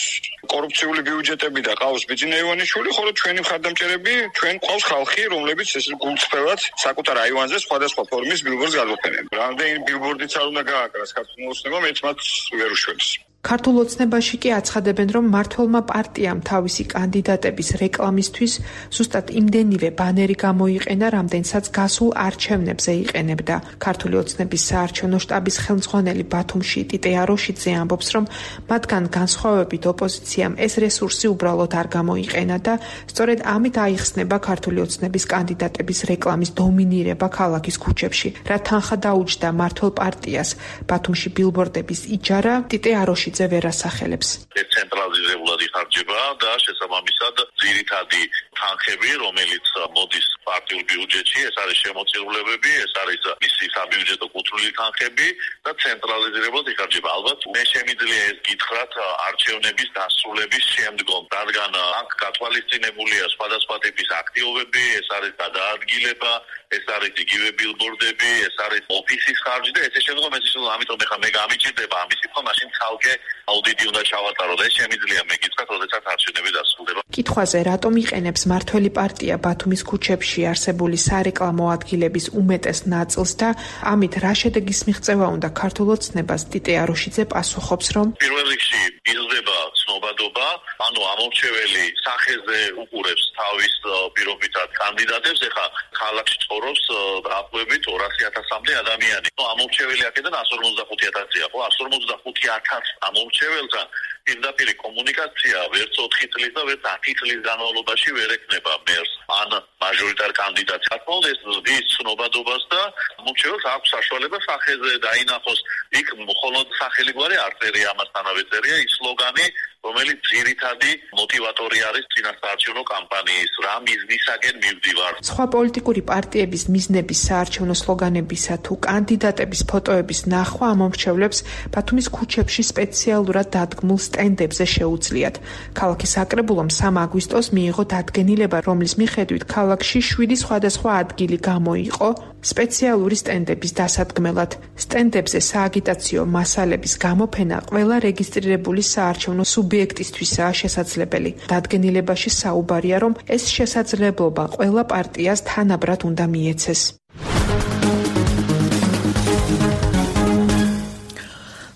კორუფციული ბიუჯეტები და ყავს ბიძინა ივანიშვილი, ხოლო ჩვენი მხარდამჭერები, ჩვენ ყავს ხალხი, რომლებიც ეს გულწრფელად საკუთარ აივანზე სხვადასხვა ფორმის ბილბორდს გადმოფენენ. რამდენი ბილბორდიც არ უნდა გააკრას ქართულ ოცნებამ, ერთ მათ ვერ უშვებს. ქართულ ოცნებაში კი აცხადებენ, რომ მმართველმა პარტიამ თავისი კანდიდატების რეკლამისთვის ზუსტად იმდენივე ბანერი გამოიყენა, რამდენსაც გასულ არჩევნებზე იყენებდა. ქართული ოცნების საარჩევნო შტაბის ხელმძღვანელი ბათუმში ტიტე აროშიძე ამბობს, რომ მათგან განსხვავებით ოპოზიციამ ეს რესურსი უბრალოდ არ გამოიყენა და სწორედ ამით აიხსნება ქართული ოცნების კანდიდატების რეკლამის დომინირება ქალაქის ქუჩებში. რა თანხა დაუჯდა მმართველ პარტიას ბათუმში ბილბორდების იჯარა, ტიტე აროშიძე ვერ ასახელებს. ცენტრალიზებულად იხარჯება და შესაბამისად ძირითადი თანხები, რომელიც მოდის პარტიულ ბიუჯეტში, ეს არის შემოწირულებები, ეს არის მისი საბიუჯეტო კუთვნილი თანხები და ცენტრალიზებულად იხარჯება. ალბათ მე შემიძლია ეს გითხრათ არჩევნების დასრულების შემდგომ, რადგან აქ გათვალისწინებულია სხვადასხვა ტიპის აქტივობები, ეს არის გადაადგილება, ეს არის იგივე ბილბორდები, ეს არის ოფისის ხარჯი და ესე შემდგომ ეს შემდგომ ამიტომ ეხლა მე გამიჭირდება ამისი თქმა, მაშინ ცალკე აუდიტი უნდა ჩავატარო და ეს შემიძლია მე გითხრათ, როდესაც არჩევნები დასრულდება. კითხვაზე, რატომ იყენებს მმართველი პარტია ბათუმის ქუჩებში არსებული სარეკლამო ადგილების უმეტეს ნაწილს და ამით რა შედეგის მიღწევა უნდა ქართულ ოცნებას, ტიტე აროშიძე პასუხობს, რომ პირველ რიგში იზრდება ცნობადობა, ანუ ამორჩეველი სახეზე უყურებს თავის პირობითად კანდიდატებს, ეხლა ქალაქში ცხოვრობს დაახლოებით ორასი ათასამდე ადამიანი. ამორჩეველი აქედან εκατს ორმოცდახუთი ათასია, ხო? εκατს ორმოცდახუთი ათასი ამორჩეველთან პირდაპირ კომუნიკაცია ვერც ოთხი წლის და ვერც ათი წლის განმავლობაში ვერ ექნება მერს ან მაჟორიტარ კანდიდატს. თქოს ეს ზრდის ცნობადობას და ამორჩეველს აქვს საშუალება სახეზე დაინახოს. იქ მხოლოდ სახელი გვარი არ წერია, ამასთანავე წერია ის სლოგანი, რომელიც ძირითადი მოტივატორი არის წინასაარჩევნო კამპანიის, რა მიზნისაკენ მივდივარ. სხვა პოლიტიკური პარტიების მიზნების საარჩევნო სლოგანებისა თუ კანდიდატების ფოტოების ნახვა ამომრჩევლებს ბათუმის ქუჩებში სპეციალურად დადგმულ სტენდებზე შეუძლიათ. ქალაქის საკრებულომ სამი აგვისტოს მიიღო დადგენილება, რომლის მიხედვით ქალაქში შვიდი სხვადასხვა ადგილი გამოიყო სპეციალური სტენდების დასადგმელად. სტენდებზე სააგიტაციო მასალების გამოფენა ყველა რეგისტრირებული საარჩევნო სუბიექტისთვისაა შესაძლებელი. დადგენილებაში საუბარია, რომ ეს შესაძლებლობა ყველა პარტიას თანაბრად უნდა მიეცეს.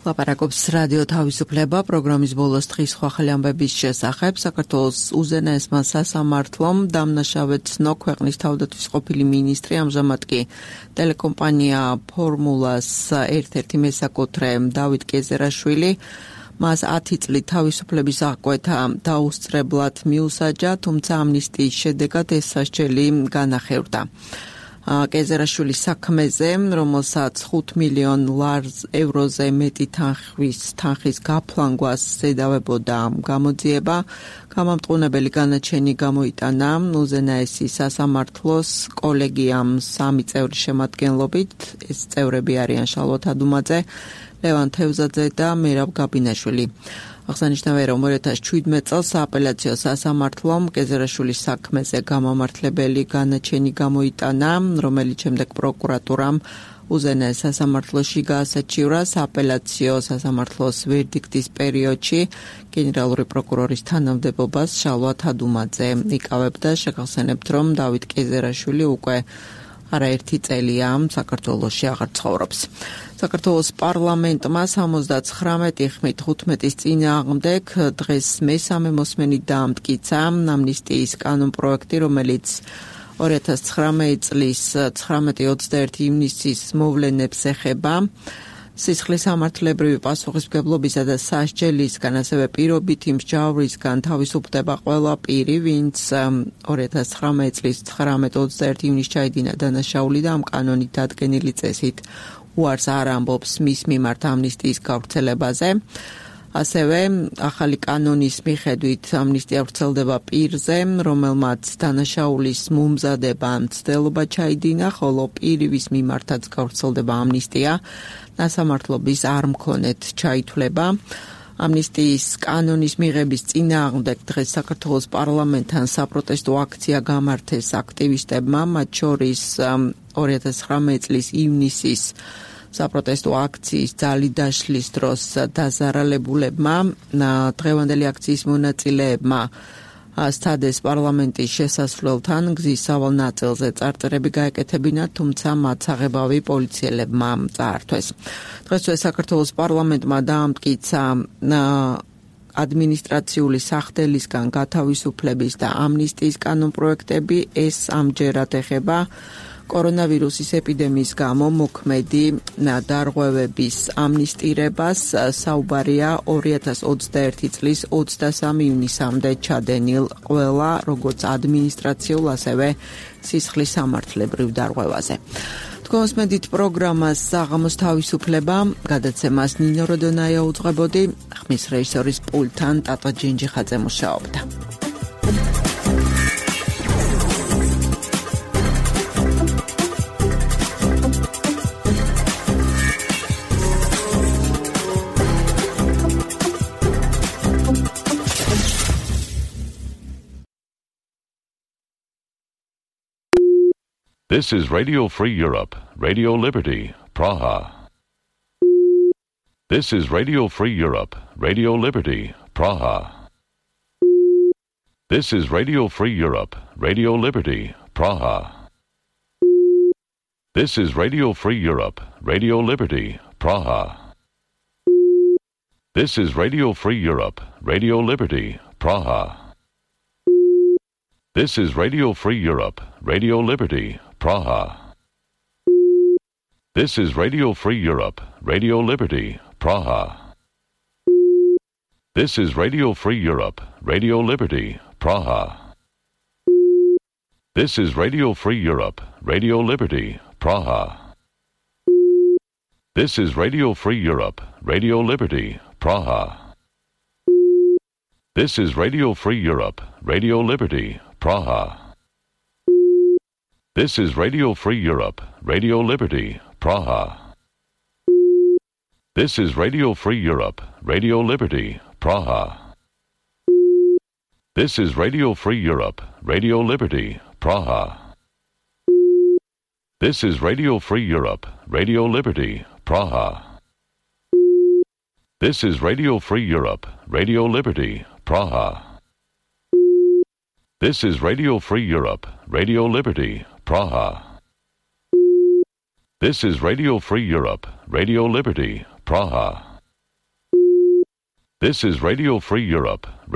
ლაპარაკობს რადიო თავისუფლება პროგრამის ბოლოს დღის სხვა ახალი ამბების შესახებ. საქართველოს უზენაესმა სასამართლომ დამნაშავე ცნო ქვეყნის თავდაცვის ყოფილი მინისტრი, ამჟამად კი ტელეკომპანია ფორმულას ერთ-ერთი მესაკუთრე დავით კეზერაშვილი მას ათი წლით თავისუფლების აღკვეთა დაუსწრებლად მიუსაჯა, თუმცა ამნისტიის შედეგად ეს სასჯელი განახევრდა. კეზერაშვილის საქმეზე, რომელსაც ხუთ მილიონ ევროზე მეტი თანხის თანხის გაფლანგვას ზედავებოდა გამოძიება, გამამტყუნებელი განაჩენი გამოიტანა უზენაესი სასამართლოს კოლეგიამ სამი წევრის შემადგენლობით. ეს წევრები არიან შალვა თადუმაძე, ლევან თევზაძე და მერაბ გაბინაშვილი. აღსანიშნავია, რომ ორი ათას შვიდმეტ წელს სააპელაციო სასამართლომ კეზერაშვილის საქმეზე გამამართლებელი განაჩენი გამოიტანა, რომელიც შემდეგ პროკურატურამ უზენაეს სასამართლოში გაასაჩივრა. სააპელაციო სასამართლოს ვერდიქტის პერიოდში გენერალური პროკურორის თანამდებობას შალვა თადუმაძე იკავებდა. შეგახსენებთ, რომ დავით კეზერაშვილი უკვე არაერთი წელია საქართველოში აღარ ცხოვრობს. საქართველოს პარლამენტმა სამოცდაცხრამეტი ხმით თხუთმეტის წინააღმდეგ დღეს მესამე მოსმენით დაამტკიცა ამნისტიის კანონპროექტი, რომელიც ორი ათას ცხრამეტი წლის ცხრამეტი ოცდაერთი ივნისის მოვლენებს ეხება. სისხლის სამართლებრივი პასუხისმგებლობისა და სასჯელისგან, ასევე პირობითი მსჯავრისგან თავისუფლდება ყველა პირი, ვინც ორი ათას ცხრამეტი წლის ცხრამეტი ოცდაერთი ივნისს ჩაიდინა დანაშაული და ამ კანონით დადგენილი წესით უარს არ ამბობს მის მიმართ ამნისტიის გავრცელებაზე. ასევე ახალი კანონის მიხედვით ამნისტია ვრცელდება პირზე, რომელმაც დანაშაულის მომზადება მცდელობა ჩაიდინა, ხოლო პირის მიმართაც გავრცელდება ამნისტია სასამართლობის არ მქონეთ ჩაითვლება. ამნისტიის კანონის მიღების წინააღმდეგ დღეს საქართველოს პარლამენტთან საპროტესტო აქცია გამართეს აქტივისტებმა, მათ შორის ორი ათას ცხრამეტი წლის ივნისის საპროტესტო აქციის ძალი დაშლის დროს დაზარალებულებმა, დღევანდელი აქციის მონაწილეებმა სტადეს პარლამენტის შესასვლელთან გზის სავალ ნაწილზე წარწერები გაეკეთებინათ, თუმცა მათ საღებავი პოლიციელებმა წაართვეს. დღესვე საქართველოს პარლამენტმა დაამტკიცა ადმინისტრაციული სახდელისგან გათავისუფლების და ამნისტიის კანონპროექტები. ეს ამჯერად ეხება კორონავირუსის ეპიდემიის გამო მოქმედი დარღვევების ამნისტირებას. საუბარია ორი ათას ოცდაერთი წლის ოცდასამი ივნისამდე ჩადენილ ყველა როგორც ადმინისტრაციულ, ასევე სისხლის სამართლებრივ დარღვევაზე. თქვენსმენდით პროგრამას საღამოს თავისუფლება, გადაცემას ნინო როდონაია უძღვებოდი, ხმის რეჟისორის პულტთან ტატო ჯინჯიხაძე მუშაობდა. This is Radio Free Europe, Radio Liberty, Praha. This is Radio Free Europe, Radio Liberty, Praha. This is Radio Free Europe, Radio Liberty, Praha. This is Radio Free Europe, Radio Liberty, Praha. This is Radio Free Europe, Radio Liberty, Praha. This is Radio Free Europe, Radio Liberty, Praha. This is Radio Free Europe, Radio Liberty, Praha. This is Radio Free Europe, Radio Liberty, Praha. This is Radio Free Europe, Radio Liberty, Praha. This is Radio Free Europe, Radio Liberty, Praha. This is Radio Free Europe, Radio Liberty, Praha. This is Radio Free Europe, Radio Liberty, Praha. This is Radio Free Europe, Radio Liberty, Praha. This is Radio Free Europe, Radio Liberty, Praha. This is Radio Free Europe, Radio Liberty, Praha. This is Radio Free Europe, Radio Liberty, Praha. This is Radio Free Europe, Radio Liberty, Praha. This is Radio Free Europe,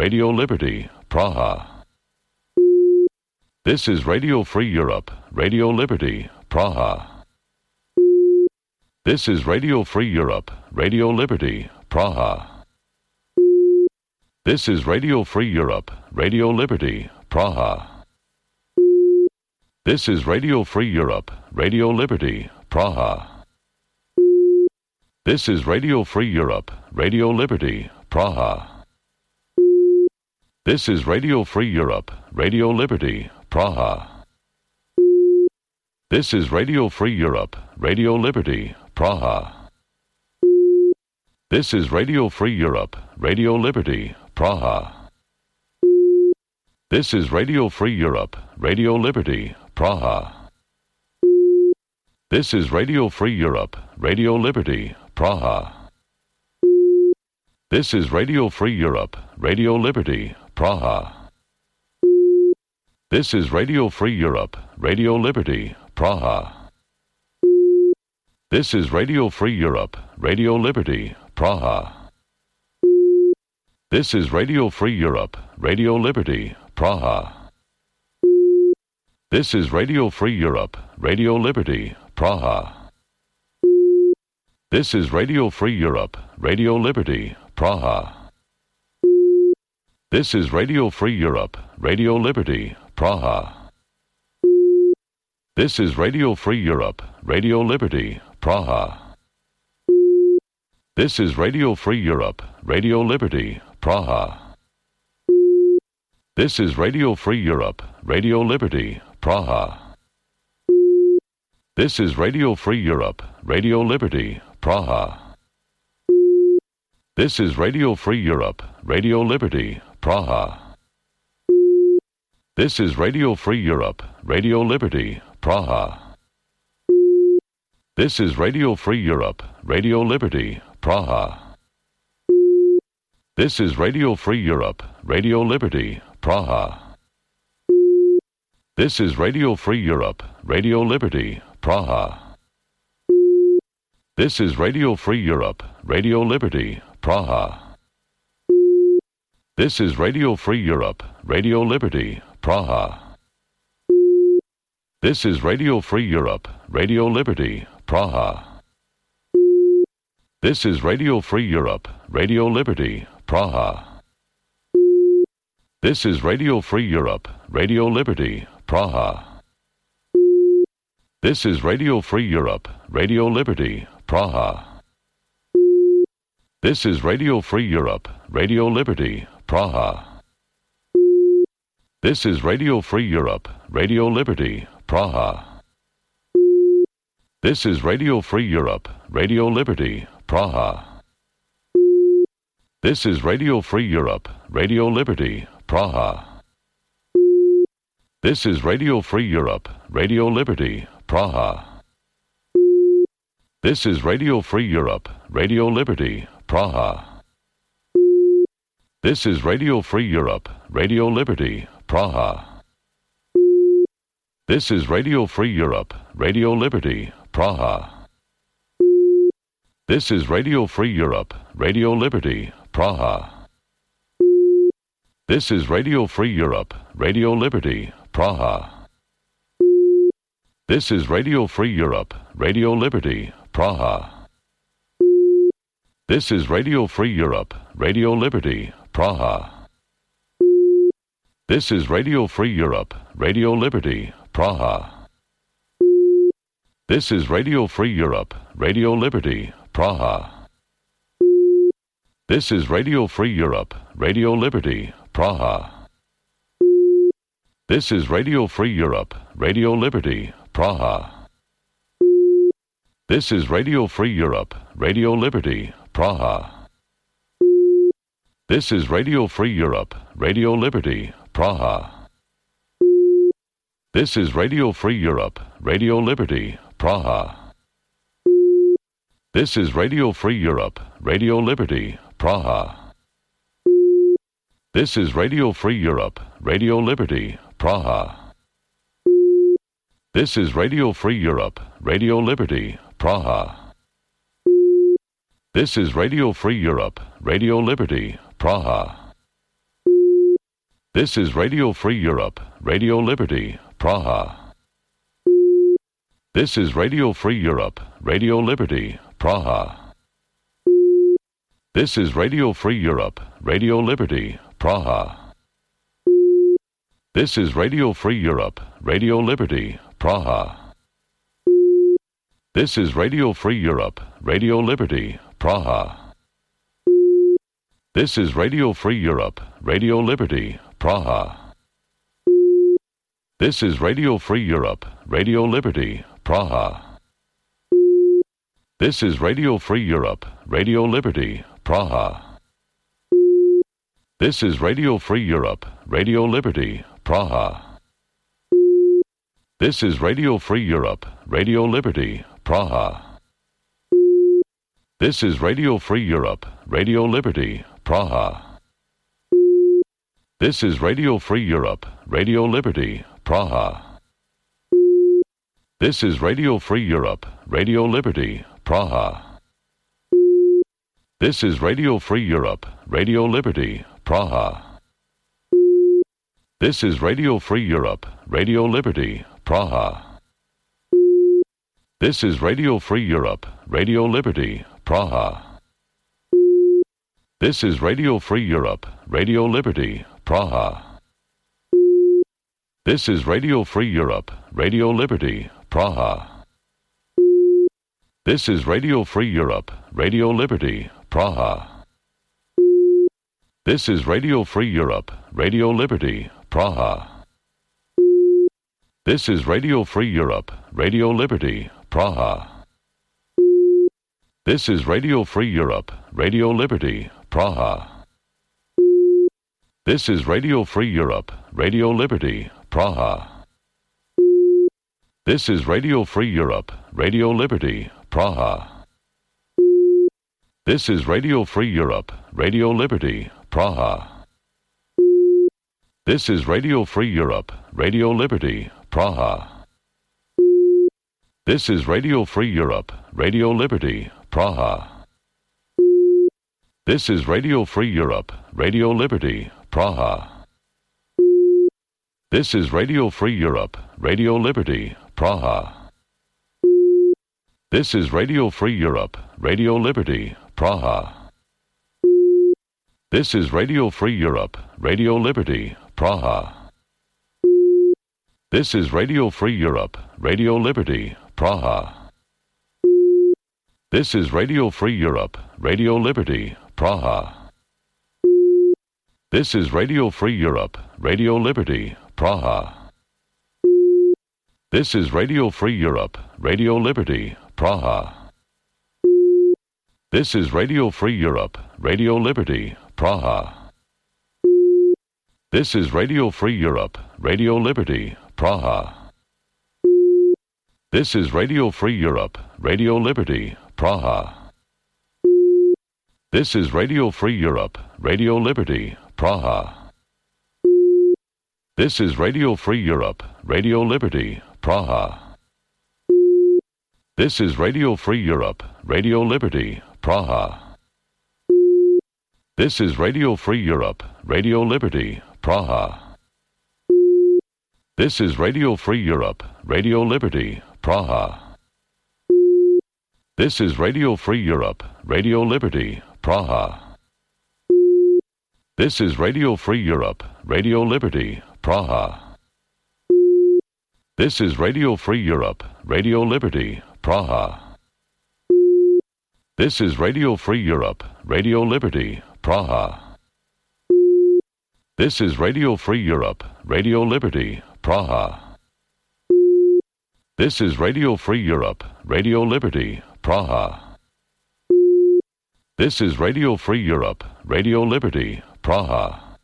Radio Liberty, Praha. This is Radio Free Europe, Radio Liberty, Praha. This is Radio Free Europe, Radio Liberty, Praha. This is Radio Free Europe, Radio Liberty, Praha. This is Radio Free Europe, Radio Liberty, Praha. This is Radio Free Europe, Radio Liberty, Praha. This is Radio Free Europe, Radio Liberty, Praha. This is Radio Free Europe, Radio Liberty, Praha. This is Radio Free Europe, Radio Liberty, Praha. This is Radio Free Europe, Radio Liberty, Praha. This is Radio Free Europe, Radio Liberty, Praha. This is Radio Free Europe, Radio Liberty, Praha. This is Radio Free Europe, Radio Liberty, Praha. This is Radio Free Europe, Radio Liberty, Praha. This is Radio Free Europe, Radio Liberty, Praha. This is Radio Free Europe, Radio Liberty, Praha. This is Radio Free Europe, Radio Liberty, Praha. This is Radio Free Europe, Radio Liberty, Praha. This is Radio Free Europe, Radio Liberty, Praha. This is Radio Free Europe, Radio Liberty, Praha. This is Radio Free Europe, Radio Liberty, Praha. This is Radio Free Europe, Radio Liberty, Praha. This is Radio Free Europe, Radio Liberty, Praha. This is Radio Free Europe, Radio Liberty, Praha. This is Radio Free Europe, Radio Liberty, Praha. This is Radio Free Europe, Radio Liberty, Praha. This is Radio Free Europe, Radio Liberty, Praha. This is Radio Free Europe, Radio Liberty, Praha. This is Radio Free Europe, Radio Liberty, Praha. This is Radio Free Europe, Radio Liberty, Praha. This is Radio Free Europe, Radio Liberty, Praha. This is Radio Free Europe, Radio Liberty, Praha. This is Radio Free Europe, Radio Liberty, Praha. This is Radio Free Europe, Radio Liberty, Praha. This is Radio Free Europe, Radio Liberty, Praha. This is Radio Free Europe, Radio Liberty, Praha. This is Radio Free Europe, Radio Liberty, Praha. This is Radio Free Europe, Radio Liberty, Praha. This is Radio Free Europe, Radio Liberty, Praha. This is Radio Free Europe, Radio Liberty, Praha. This is Radio Free Europe, Radio Liberty, Praha. This is Radio Free Europe, Radio Liberty, Praha. This is Radio Free Europe, Radio Liberty, Praha. This is Radio Free Europe, Radio Liberty, Praha. This is Radio Free Europe, Radio Liberty, Praha. This is Radio Free Europe, Radio Liberty, Praha. This is Radio Free Europe, Radio Liberty, Praha. This is Radio Free Europe, Radio Liberty, Praha. This is Radio Free Europe, Radio Liberty, Praha. This is Radio Free Europe, Radio Liberty, Praha. This is Radio Free Europe, Radio Liberty, Praha. This is Radio Free Europe, Radio Liberty, Praha. This is Radio Free Europe, Radio Liberty, Praha. This is Radio Free Europe, Radio Liberty, Praha. This is Radio Free Europe, Radio Liberty, Praha. This is Radio Free Europe, Radio Liberty, Praha. This is Radio Free Europe, Radio Liberty, Praha. This is Radio Free Europe, Radio Liberty, Praha. This is Radio Free Europe, Radio Liberty, Praha. This is Radio Free Europe, Radio Liberty, Praha. This is Radio Free Europe, Radio Liberty, Praha. This is Radio Free Europe, Radio Liberty, Praha. This is Radio Free Europe, Radio Liberty, Praha. This is Radio Free Europe, Radio Liberty, Praha. This is Radio Free Europe, Radio Liberty, Praha. This is Radio Free Europe, Radio Liberty, Praha. This is Radio Free Europe, Radio Liberty, Praha. This is Radio Free Europe, Radio Liberty, Praha. This is Radio Free Europe, Radio Liberty, Praha. This is Radio Free Europe, Radio Liberty, Praha. This is Radio Free Europe, Radio Liberty, Praha. This is Radio Free Europe, Radio Liberty, Praha. This is Radio Free Europe, Radio Liberty, Praha. This is Radio Free Europe, Radio Liberty, Praha. This is Radio Free Europe, Radio Liberty, Praha. This is Radio Free Europe, Radio Liberty, Praha. This is Radio Free Europe, Radio Liberty, Praha. This is Radio Free Europe, Radio Liberty, Praha. This is Radio Free Europe, Radio Liberty, Praha. This is Radio Free Europe, Radio Liberty, Praha. This is Radio Free Europe, Radio Liberty, Praha. This is Radio Free Europe, Radio Liberty, Praha. This is Radio Free Europe, Radio Liberty, Praha. This is Radio Free Europe, Radio Liberty, Praha. This is Radio Free Europe, Radio Liberty, Praha. This is Radio Free Europe, Radio Liberty, Praha. This is Radio Free Europe, Radio Liberty, Praha. This is Radio Free Europe, Radio Liberty, Praha. This is Radio Free Europe, Radio Liberty, Praha. This is Radio Free Europe, Radio Liberty, Praha. This is Radio Free Europe, Radio Liberty, Praha. This is Radio Free Europe, Radio Liberty, Praha. This is Radio Free Europe, Radio Liberty, Praha. This is Radio Free Europe, Radio Liberty, Praha. This is Radio Free Europe, Radio Liberty, Praha. This is Radio Free Europe, Radio Liberty, Praha. This is Radio Free Europe, Radio Liberty, Praha. This is Radio Free Europe, Radio Liberty, Praha. This is Radio Free Europe, Radio Liberty, Praha. This is Radio Free Europe, Radio Liberty, Praha. This is Radio Free Europe, Radio Liberty, Praha. This is Radio Free Europe, Radio Liberty, Praha. This is Radio Free Europe, Radio Liberty, Praha. This is Radio Free Europe, Radio Liberty, Praha. This is Radio Free Europe, Radio Liberty, Praha. This is Radio Free Europe, Radio Liberty, Praha. This is Radio Free Europe, Radio Liberty, Praha.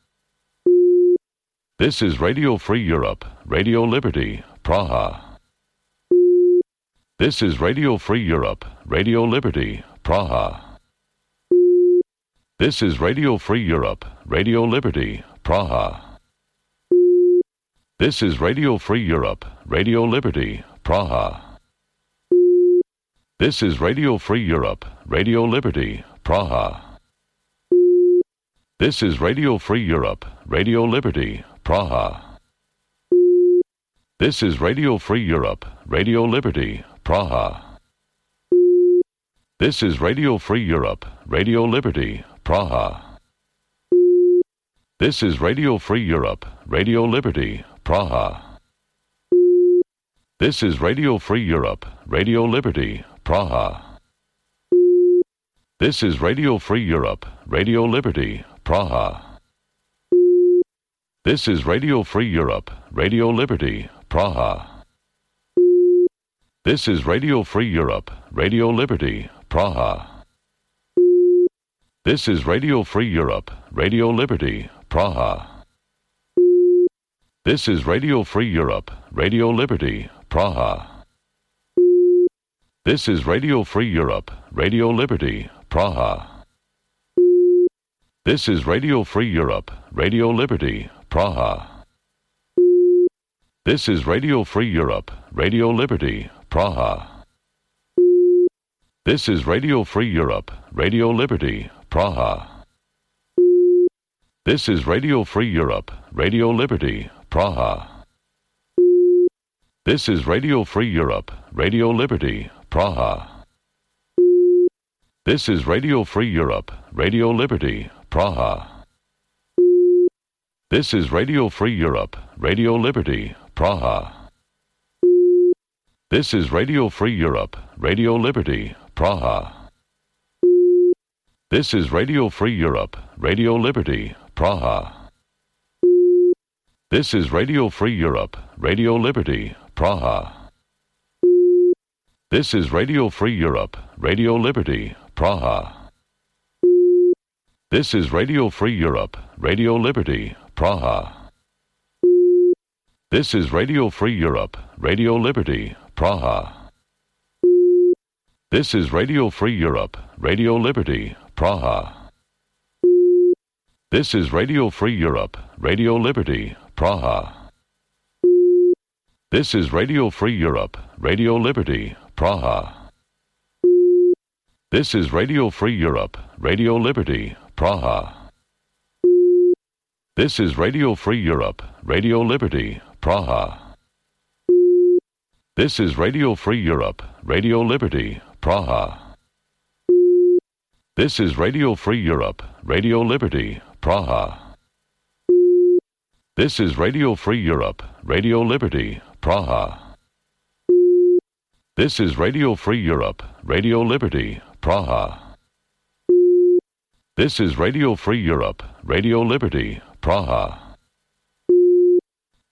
This is Radio Free Europe, Radio Liberty, Praha. This is Radio Free Europe, Radio Liberty, Praha. This is Radio Free Europe, Radio Liberty, Praha. This is Radio Free Europe, Radio Liberty, Praha. This is Radio Free Europe, Radio Liberty, Praha. This is Radio Free Europe, Radio Liberty, Praha. This is Radio Free Europe, Radio Liberty, Praha. This is Radio Free Europe, Radio Liberty, Praha. This is Radio Free Europe, Radio Liberty, Praha. This is Radio Free Europe, Radio Liberty, Praha. This is Radio Free Europe, Radio Liberty, Praha. This is Radio Free Europe, Radio Liberty, Praha. This is Radio Free Europe, Radio Liberty, Praha. This is Radio Free Europe, Radio Liberty, Praha. This is Radio Free Europe, Radio Liberty, Praha. This is Radio Free Europe, Radio Liberty, Praha. This is Radio Free Europe, Radio Liberty, Praha. This is Radio Free Europe, Radio Liberty, Praha. This is Radio Free Europe, Radio Liberty, Praha. This is Radio Free Europe, Radio Liberty, Praha. This is Radio Free Europe, Radio Liberty, Praha. This is Radio Free Europe, Radio Liberty, Praha. This is Radio Free Europe, Radio Liberty, Praha. This is Radio Free Europe, Radio Liberty, Praha. This is Radio Free Europe, Radio Liberty, Praha. This is Radio Free Europe, Radio Liberty, Praha. This is Radio Free Europe, Radio Liberty, Praha. This is Radio Free Europe, Radio Liberty, Praha. This is Radio Free Europe, Radio Liberty, Praha. This is Radio Free Europe, Radio Liberty, Praha. This is Radio Free Europe, Radio Liberty, Praha. This is Radio Free Europe, Radio Liberty, Praha. This is Radio Free Europe, Radio Liberty, Praha. This is Radio Free Europe, Radio Liberty, Praha. This is Radio Free Europe, Radio Liberty, Praha. This is Radio Free Europe, Radio Liberty, Praha. This is Radio Free Europe, Radio Liberty, Praha. This is Radio Free Europe, Radio Liberty, Praha. This is Radio Free Europe, Radio Liberty, Praha.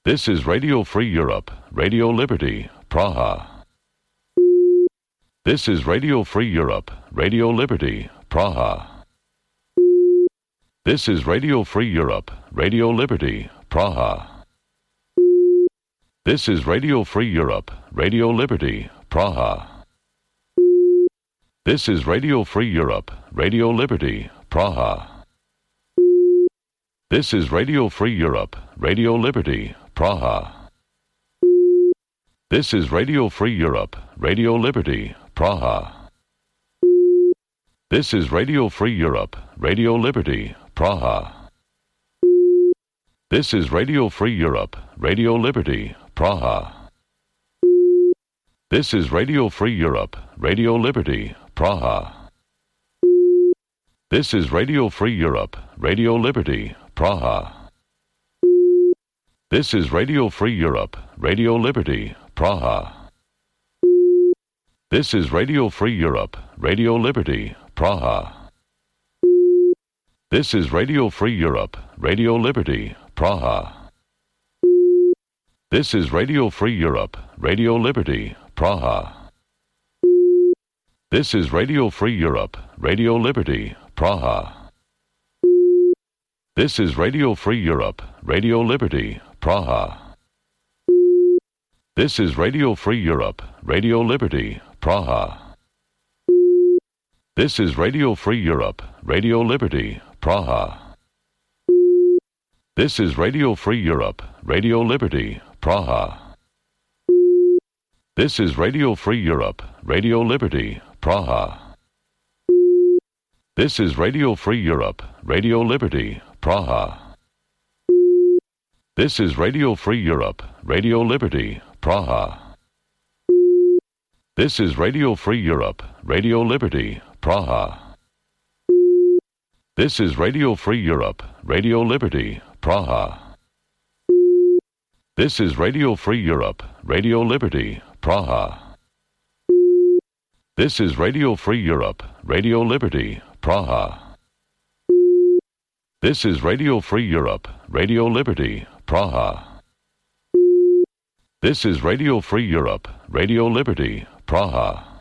This is Radio Free Europe, Radio Liberty, Praha. This is Radio Free Europe, Radio Liberty, Praha. This is Radio Free Europe, Radio Liberty, Praha. This is Radio Free Europe, Radio Liberty, Praha. This is Radio Free Europe, Radio Liberty, Praha. This is Radio Free Europe, Radio Liberty, Praha. This is Radio Free Europe, Radio Liberty, Praha. This is Radio Free Europe, Radio Liberty, Praha. This is Radio Free Europe, Radio Liberty, Praha. This is Radio Free Europe, Radio Liberty, Praha. This is Radio Free Europe, Radio Liberty, Praha. This is Radio Free Europe, Radio Liberty, Praha. This is Radio Free Europe, Radio Liberty, Praha. This is Radio Free Europe, Radio Liberty, Praha. This is Radio Free Europe, Radio Liberty, Praha. This is Radio Free Europe, Radio Liberty, Praha. This is Radio Free Europe, Radio Liberty, Praha. This is Radio Free Europe, Radio Liberty, Praha. This is Radio Free Europe, Radio Liberty, Praha. This is Radio Free Europe, Radio Liberty, Praha. This is Radio Free Europe, Radio Liberty, Praha. This is Radio Free Europe, Radio Liberty, Praha. This is Radio Free Europe, Radio Liberty, Praha. This is Radio Free Europe, Radio Liberty, Praha. This is Radio Free Europe, Radio Liberty, Praha. This is Radio Free Europe, Radio Liberty, Praha. This is Radio Free Europe, Radio Liberty, Praha. This is Radio Free Europe, Radio Liberty, Praha. This is Radio Free Europe, Radio Liberty, Praha.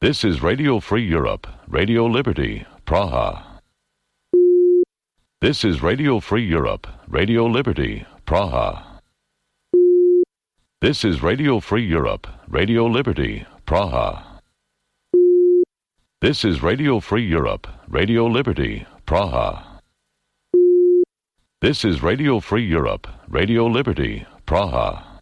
This is Radio Free Europe, Radio Liberty, Praha. This is Radio Free Europe, Radio Liberty, Praha. This is Radio Free Europe, Radio Liberty, Praha. This is Radio Free Europe, Radio Liberty, Praha. This is Radio Free Europe, Radio Liberty, Praha.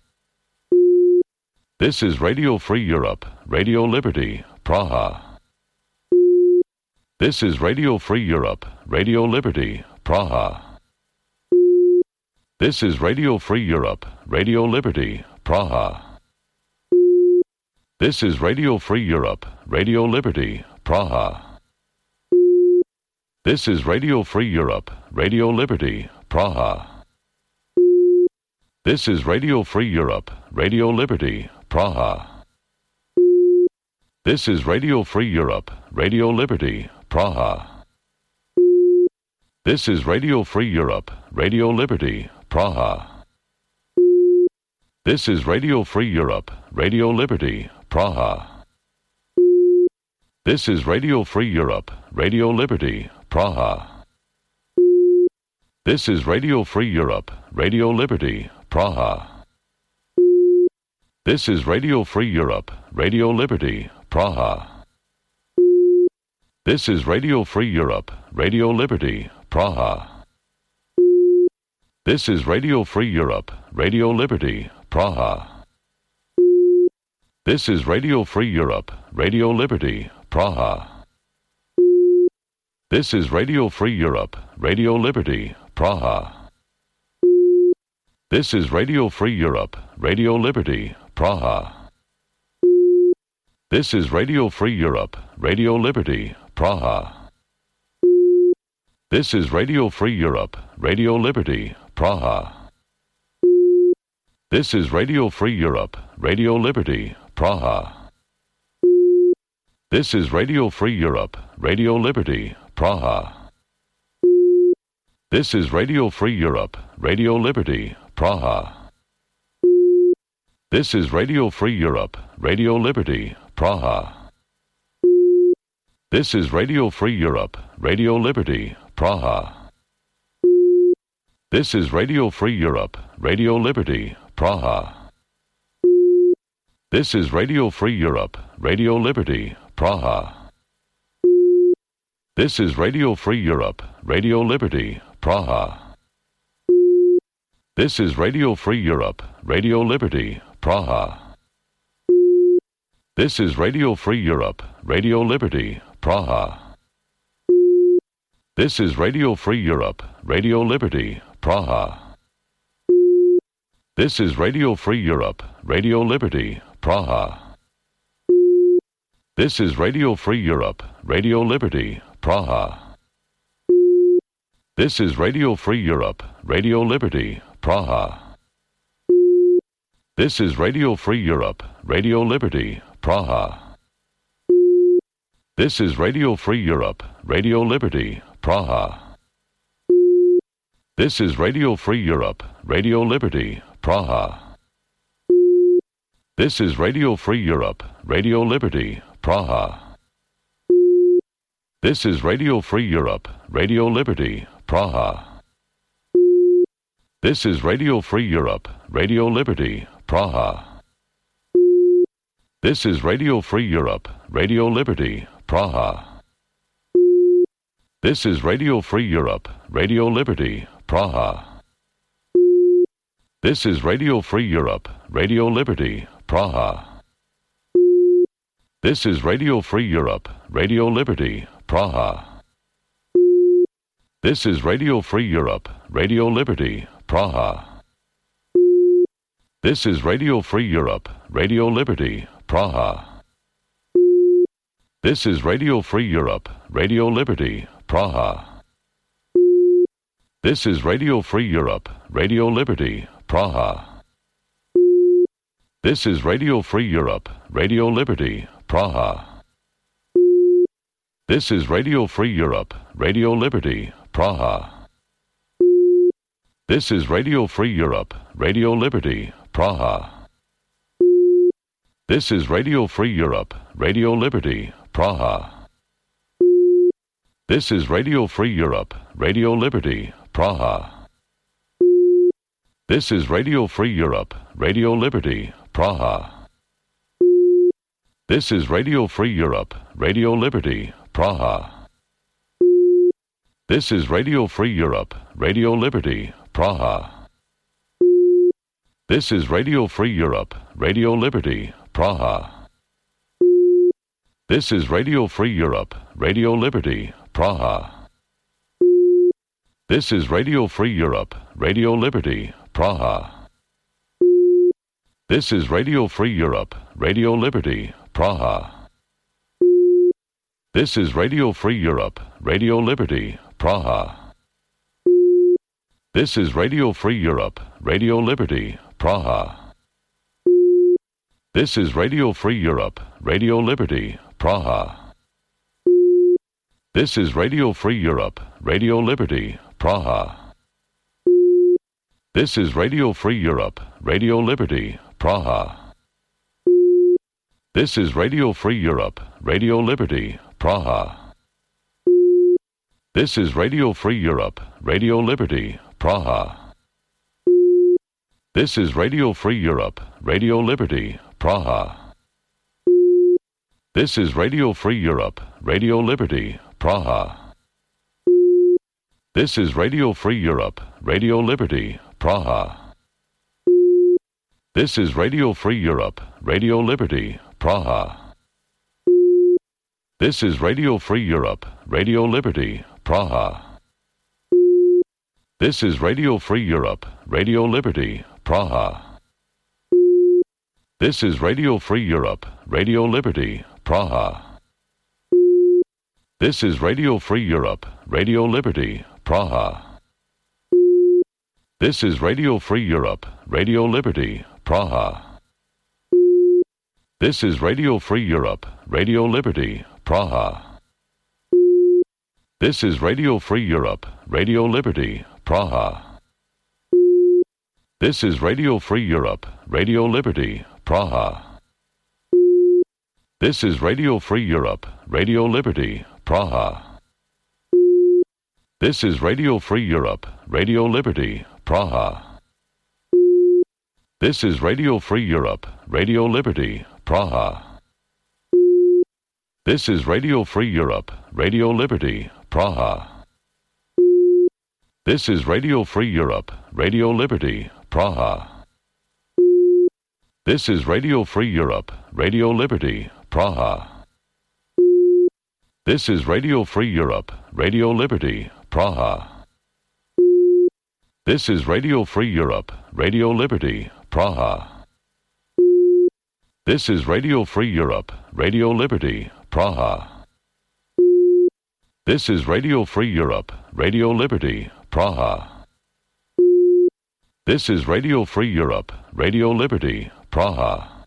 This is Radio Free Europe, Radio Liberty, Praha. This is Radio Free Europe, Radio Liberty, Praha. This is Radio Free Europe, Radio Liberty, Praha. This is Radio Free Europe, Radio Liberty, Praha. This is Radio Free Europe, Radio Liberty, Praha. This is Radio Free Europe, Radio Liberty, Praha. This is Radio Free Europe, Radio Liberty, Praha. This is Radio Free Europe, Radio Liberty, Praha. This is Radio Free Europe, Radio Liberty, Praha. This is Radio Free Europe, Radio Liberty, Praha. This is Radio Free Europe, Radio Liberty, Praha. This is Radio Free Europe, Radio Liberty, Praha. This is Radio Free Europe, Radio Liberty, Praha. This is Radio Free Europe, Radio Liberty, Praha. This is Radio Free Europe, Radio Liberty, Praha. This is Radio Free Europe, Radio Liberty, Praha. This is Radio Free Europe, Radio Liberty, Praha. This is Radio Free Europe, Radio Liberty, Praha. This is Radio Free Europe, Radio Liberty, Praha. This is Radio Free Europe, Radio Liberty, Praha. This is Radio Free Europe, Radio Liberty, Praha. This is Radio Free Europe, Radio Liberty, Praha. This is Radio Free Europe, Radio Liberty, Praha. This is Radio Free Europe, Radio Liberty, Praha. This is Radio Free Europe, Radio Liberty, Praha. This is Radio Free Europe, Radio Liberty, Praha. This is Radio Free Europe, Radio Liberty, Praha. This is Radio Free Europe, Radio Liberty, Praha. This is Radio Free Europe, Radio Liberty, Praha. This is Radio Free Europe, Radio Liberty, Praha. This is Radio Free Europe, Radio Liberty, Praha. This is Radio Free Europe, Radio Liberty, Praha. This is Radio Free Europe, Radio Liberty, Praha. This is Radio Free Europe, Radio Liberty, Praha. This is Radio Free Europe, Radio Liberty, Praha. This is Radio Free Europe, Radio Liberty, Praha. This is Radio Free Europe, Radio Liberty, Praha. This is Radio Free Europe, Radio Liberty, Praha. This is Radio Free Europe, Radio Liberty, Praha. This is Radio Free Europe, Radio Liberty, Praha. This is Radio Free Europe, Radio Liberty, Praha. This is Radio Free Europe, Radio Liberty, Praha. This is Radio Free Europe, Radio Liberty, Praha. This is Radio Free Europe, Radio Liberty, Praha. This is Radio Free Europe, Radio Liberty, Praha. This is Radio Free Europe, Radio Liberty, Praha. This is Radio Free Europe, Radio Liberty, Praha. This is Radio Free Europe, Radio Liberty, Praha. This is Radio Free Europe, Radio Liberty, Praha. This is Radio Free Europe, Radio Liberty, Praha. This is Radio Free Europe, Radio Liberty, Praha. This is Radio Free Europe, Radio Liberty, Praha. This is Radio Free Europe, Radio Liberty, Praha. This is Radio Free Europe, Radio Liberty, Praha. This is Radio Free Europe, Radio Liberty, Praha. This is Radio Free Europe, Radio Liberty, Praha. This is Radio Free Europe, Radio Liberty, Praha. This is Radio Free Europe, Radio Liberty, Praha. This is Radio Free Europe, Radio Liberty, Praha. This is Radio Free Europe, Radio Liberty, Praha. This is Radio Free Europe, Radio Liberty, Praha. This is Radio Free Europe, Radio Liberty, Praha. This is Radio Free Europe, Radio Liberty, Praha. This is Radio Free Europe, Radio Liberty, Praha. This is Radio Free Europe, Radio Liberty, Praha. This is Radio Free Europe, Radio Liberty, Praha. This is Radio Free Europe, Radio Liberty, Praha. This is Radio Free Europe, Radio Liberty, Praha. This is Radio Free Europe, Radio Liberty, Praha. This is Radio Free Europe, Radio Liberty, Praha. This is Radio Free Europe, Radio Liberty, Praha. This is Radio Free Europe, Radio Liberty, Praha. This is Radio Free Europe, Radio Liberty, Praha. This is Radio Free Europe, Radio Liberty, Praha. This is Radio Free Europe, Radio Liberty, Praha. This is Radio Free Europe, Radio Liberty, Praha. This is Radio Free Europe, Radio Liberty, Praha. This is Radio Free Europe, Radio Liberty, Praha. This is Radio Free Europe, Radio Liberty, Praha. This is Radio Free Europe, Radio Liberty, Praha. This is Radio Free Europe, Radio Liberty, Praha. This is Radio Free Europe, Radio Liberty, Praha. This is Radio Free Europe, Radio Liberty, Praha. This is Radio Free Europe, Radio Liberty, Praha. This is Radio Free Europe, Radio Liberty, Praha. This is Radio Free Europe, Radio Liberty, Praha. This is Radio Free Europe, Radio Liberty, Praha. This is Radio Free Europe, Radio Liberty, Praha. This is Radio Free Europe, Radio Liberty, Praha. This is Radio Free Europe, Radio Liberty, Praha.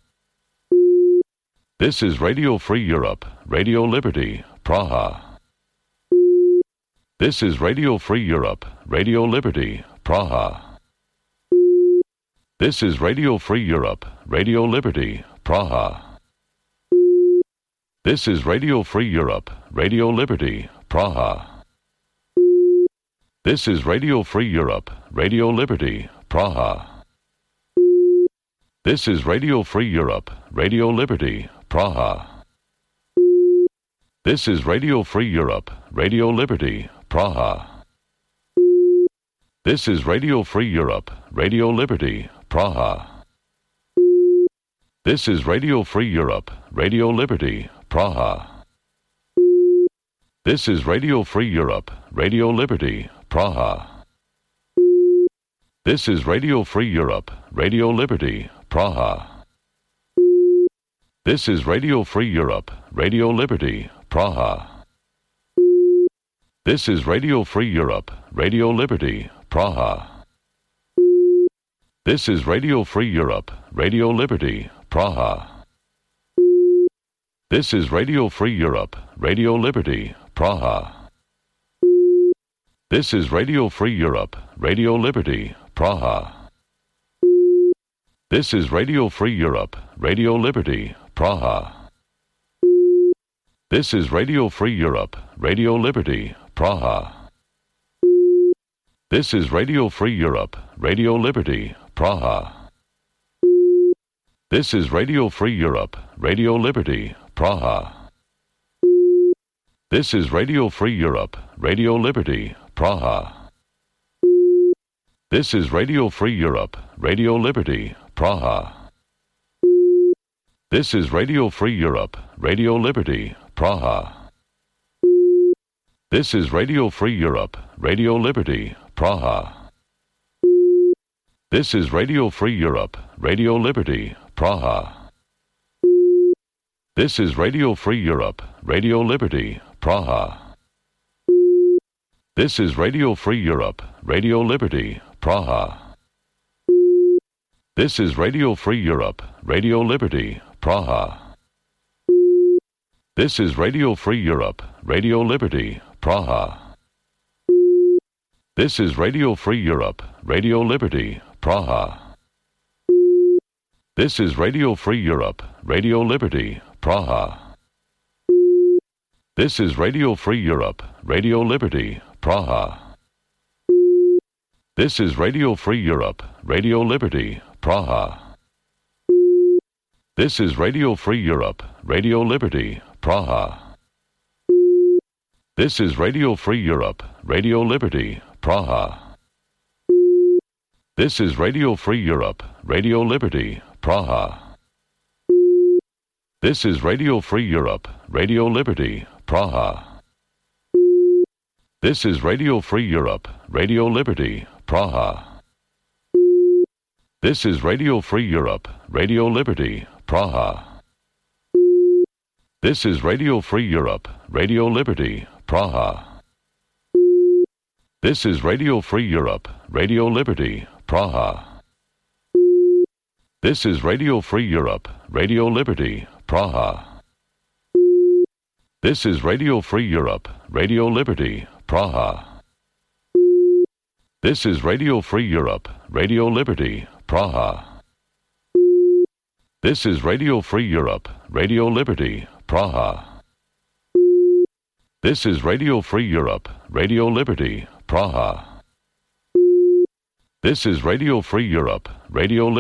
This is Radio Free Europe, Radio Liberty, Praha. This is Radio Free Europe, Radio Liberty, Praha. This is Radio Free Europe, Radio Liberty, Praha. This is Radio Free Europe, Radio Liberty, Praha. This is Radio Free Europe, Radio Liberty, Praha. This is Radio Free Europe, Radio Liberty, Praha. This is Radio Free Europe, Radio Liberty, Praha. This is Radio Free Europe, Radio Liberty, Praha. This is Radio Free Europe, Radio Liberty, Praha. This is Radio Free Europe, Radio Liberty, Praha. This is Radio Free Europe, Radio Liberty, Praha. This is Radio Free Europe, Radio Liberty, Praha. This is Radio Free Europe, Radio Liberty, Praha. This is Radio Free Europe, Radio Liberty, Praha. This is Radio Free Europe, Radio Liberty, Praha. This is Radio Free Europe, Radio Liberty, Praha. This is Radio Free Europe, Radio Liberty, Praha. This is Radio Free Europe, Radio Liberty, Praha. This is Radio Free Europe, Radio Liberty, Praha. This is Radio Free Europe, Radio Liberty, Praha. This is Radio Free Europe, Radio Liberty, Praha. This is Radio Free Europe, Radio Liberty, Praha. This is Radio Free Europe, Radio Liberty, Praha. This is Radio Free Europe, Radio Liberty, Praha. This is Radio Free Europe, Radio Liberty, Praha. This is Radio Free Europe, Radio Liberty, Praha. This is Radio Free Europe, Radio Liberty, Praha. This is Radio Free Europe, Radio Liberty, Praha. This is Radio Free Europe, Radio Liberty, Praha. This is Radio Free Europe, Radio Liberty, Praha. This is Radio Free Europe, Radio Liberty, Praha. This is Radio Free Europe, Radio Liberty, Praha. This is Radio Free Europe, Radio Liberty, Praha. This is Radio Free Europe, Radio Liberty, Praha. This is Radio Free Europe, Radio Liberty, Praha. This is Radio Free Europe, Radio Liberty, Praha. This is Radio Free Europe, Radio Liberty, Praha. This is Radio Free Europe, Radio Liberty, Praha. This is Radio Free Europe, Radio Liberty, Praha. This is Radio Free Europe, Radio Liberty, Praha. This is Radio Free Europe, Radio Liberty, Praha. This is Radio Free Europe, Radio Liberty, Praha. This is Radio Free Europe, Radio Liberty, Praha. This is Radio Free Europe, Radio Liberty, Praha. This is Radio Free Europe, Radio Liberty, Praha. This is Radio Free Europe, Radio Liberty.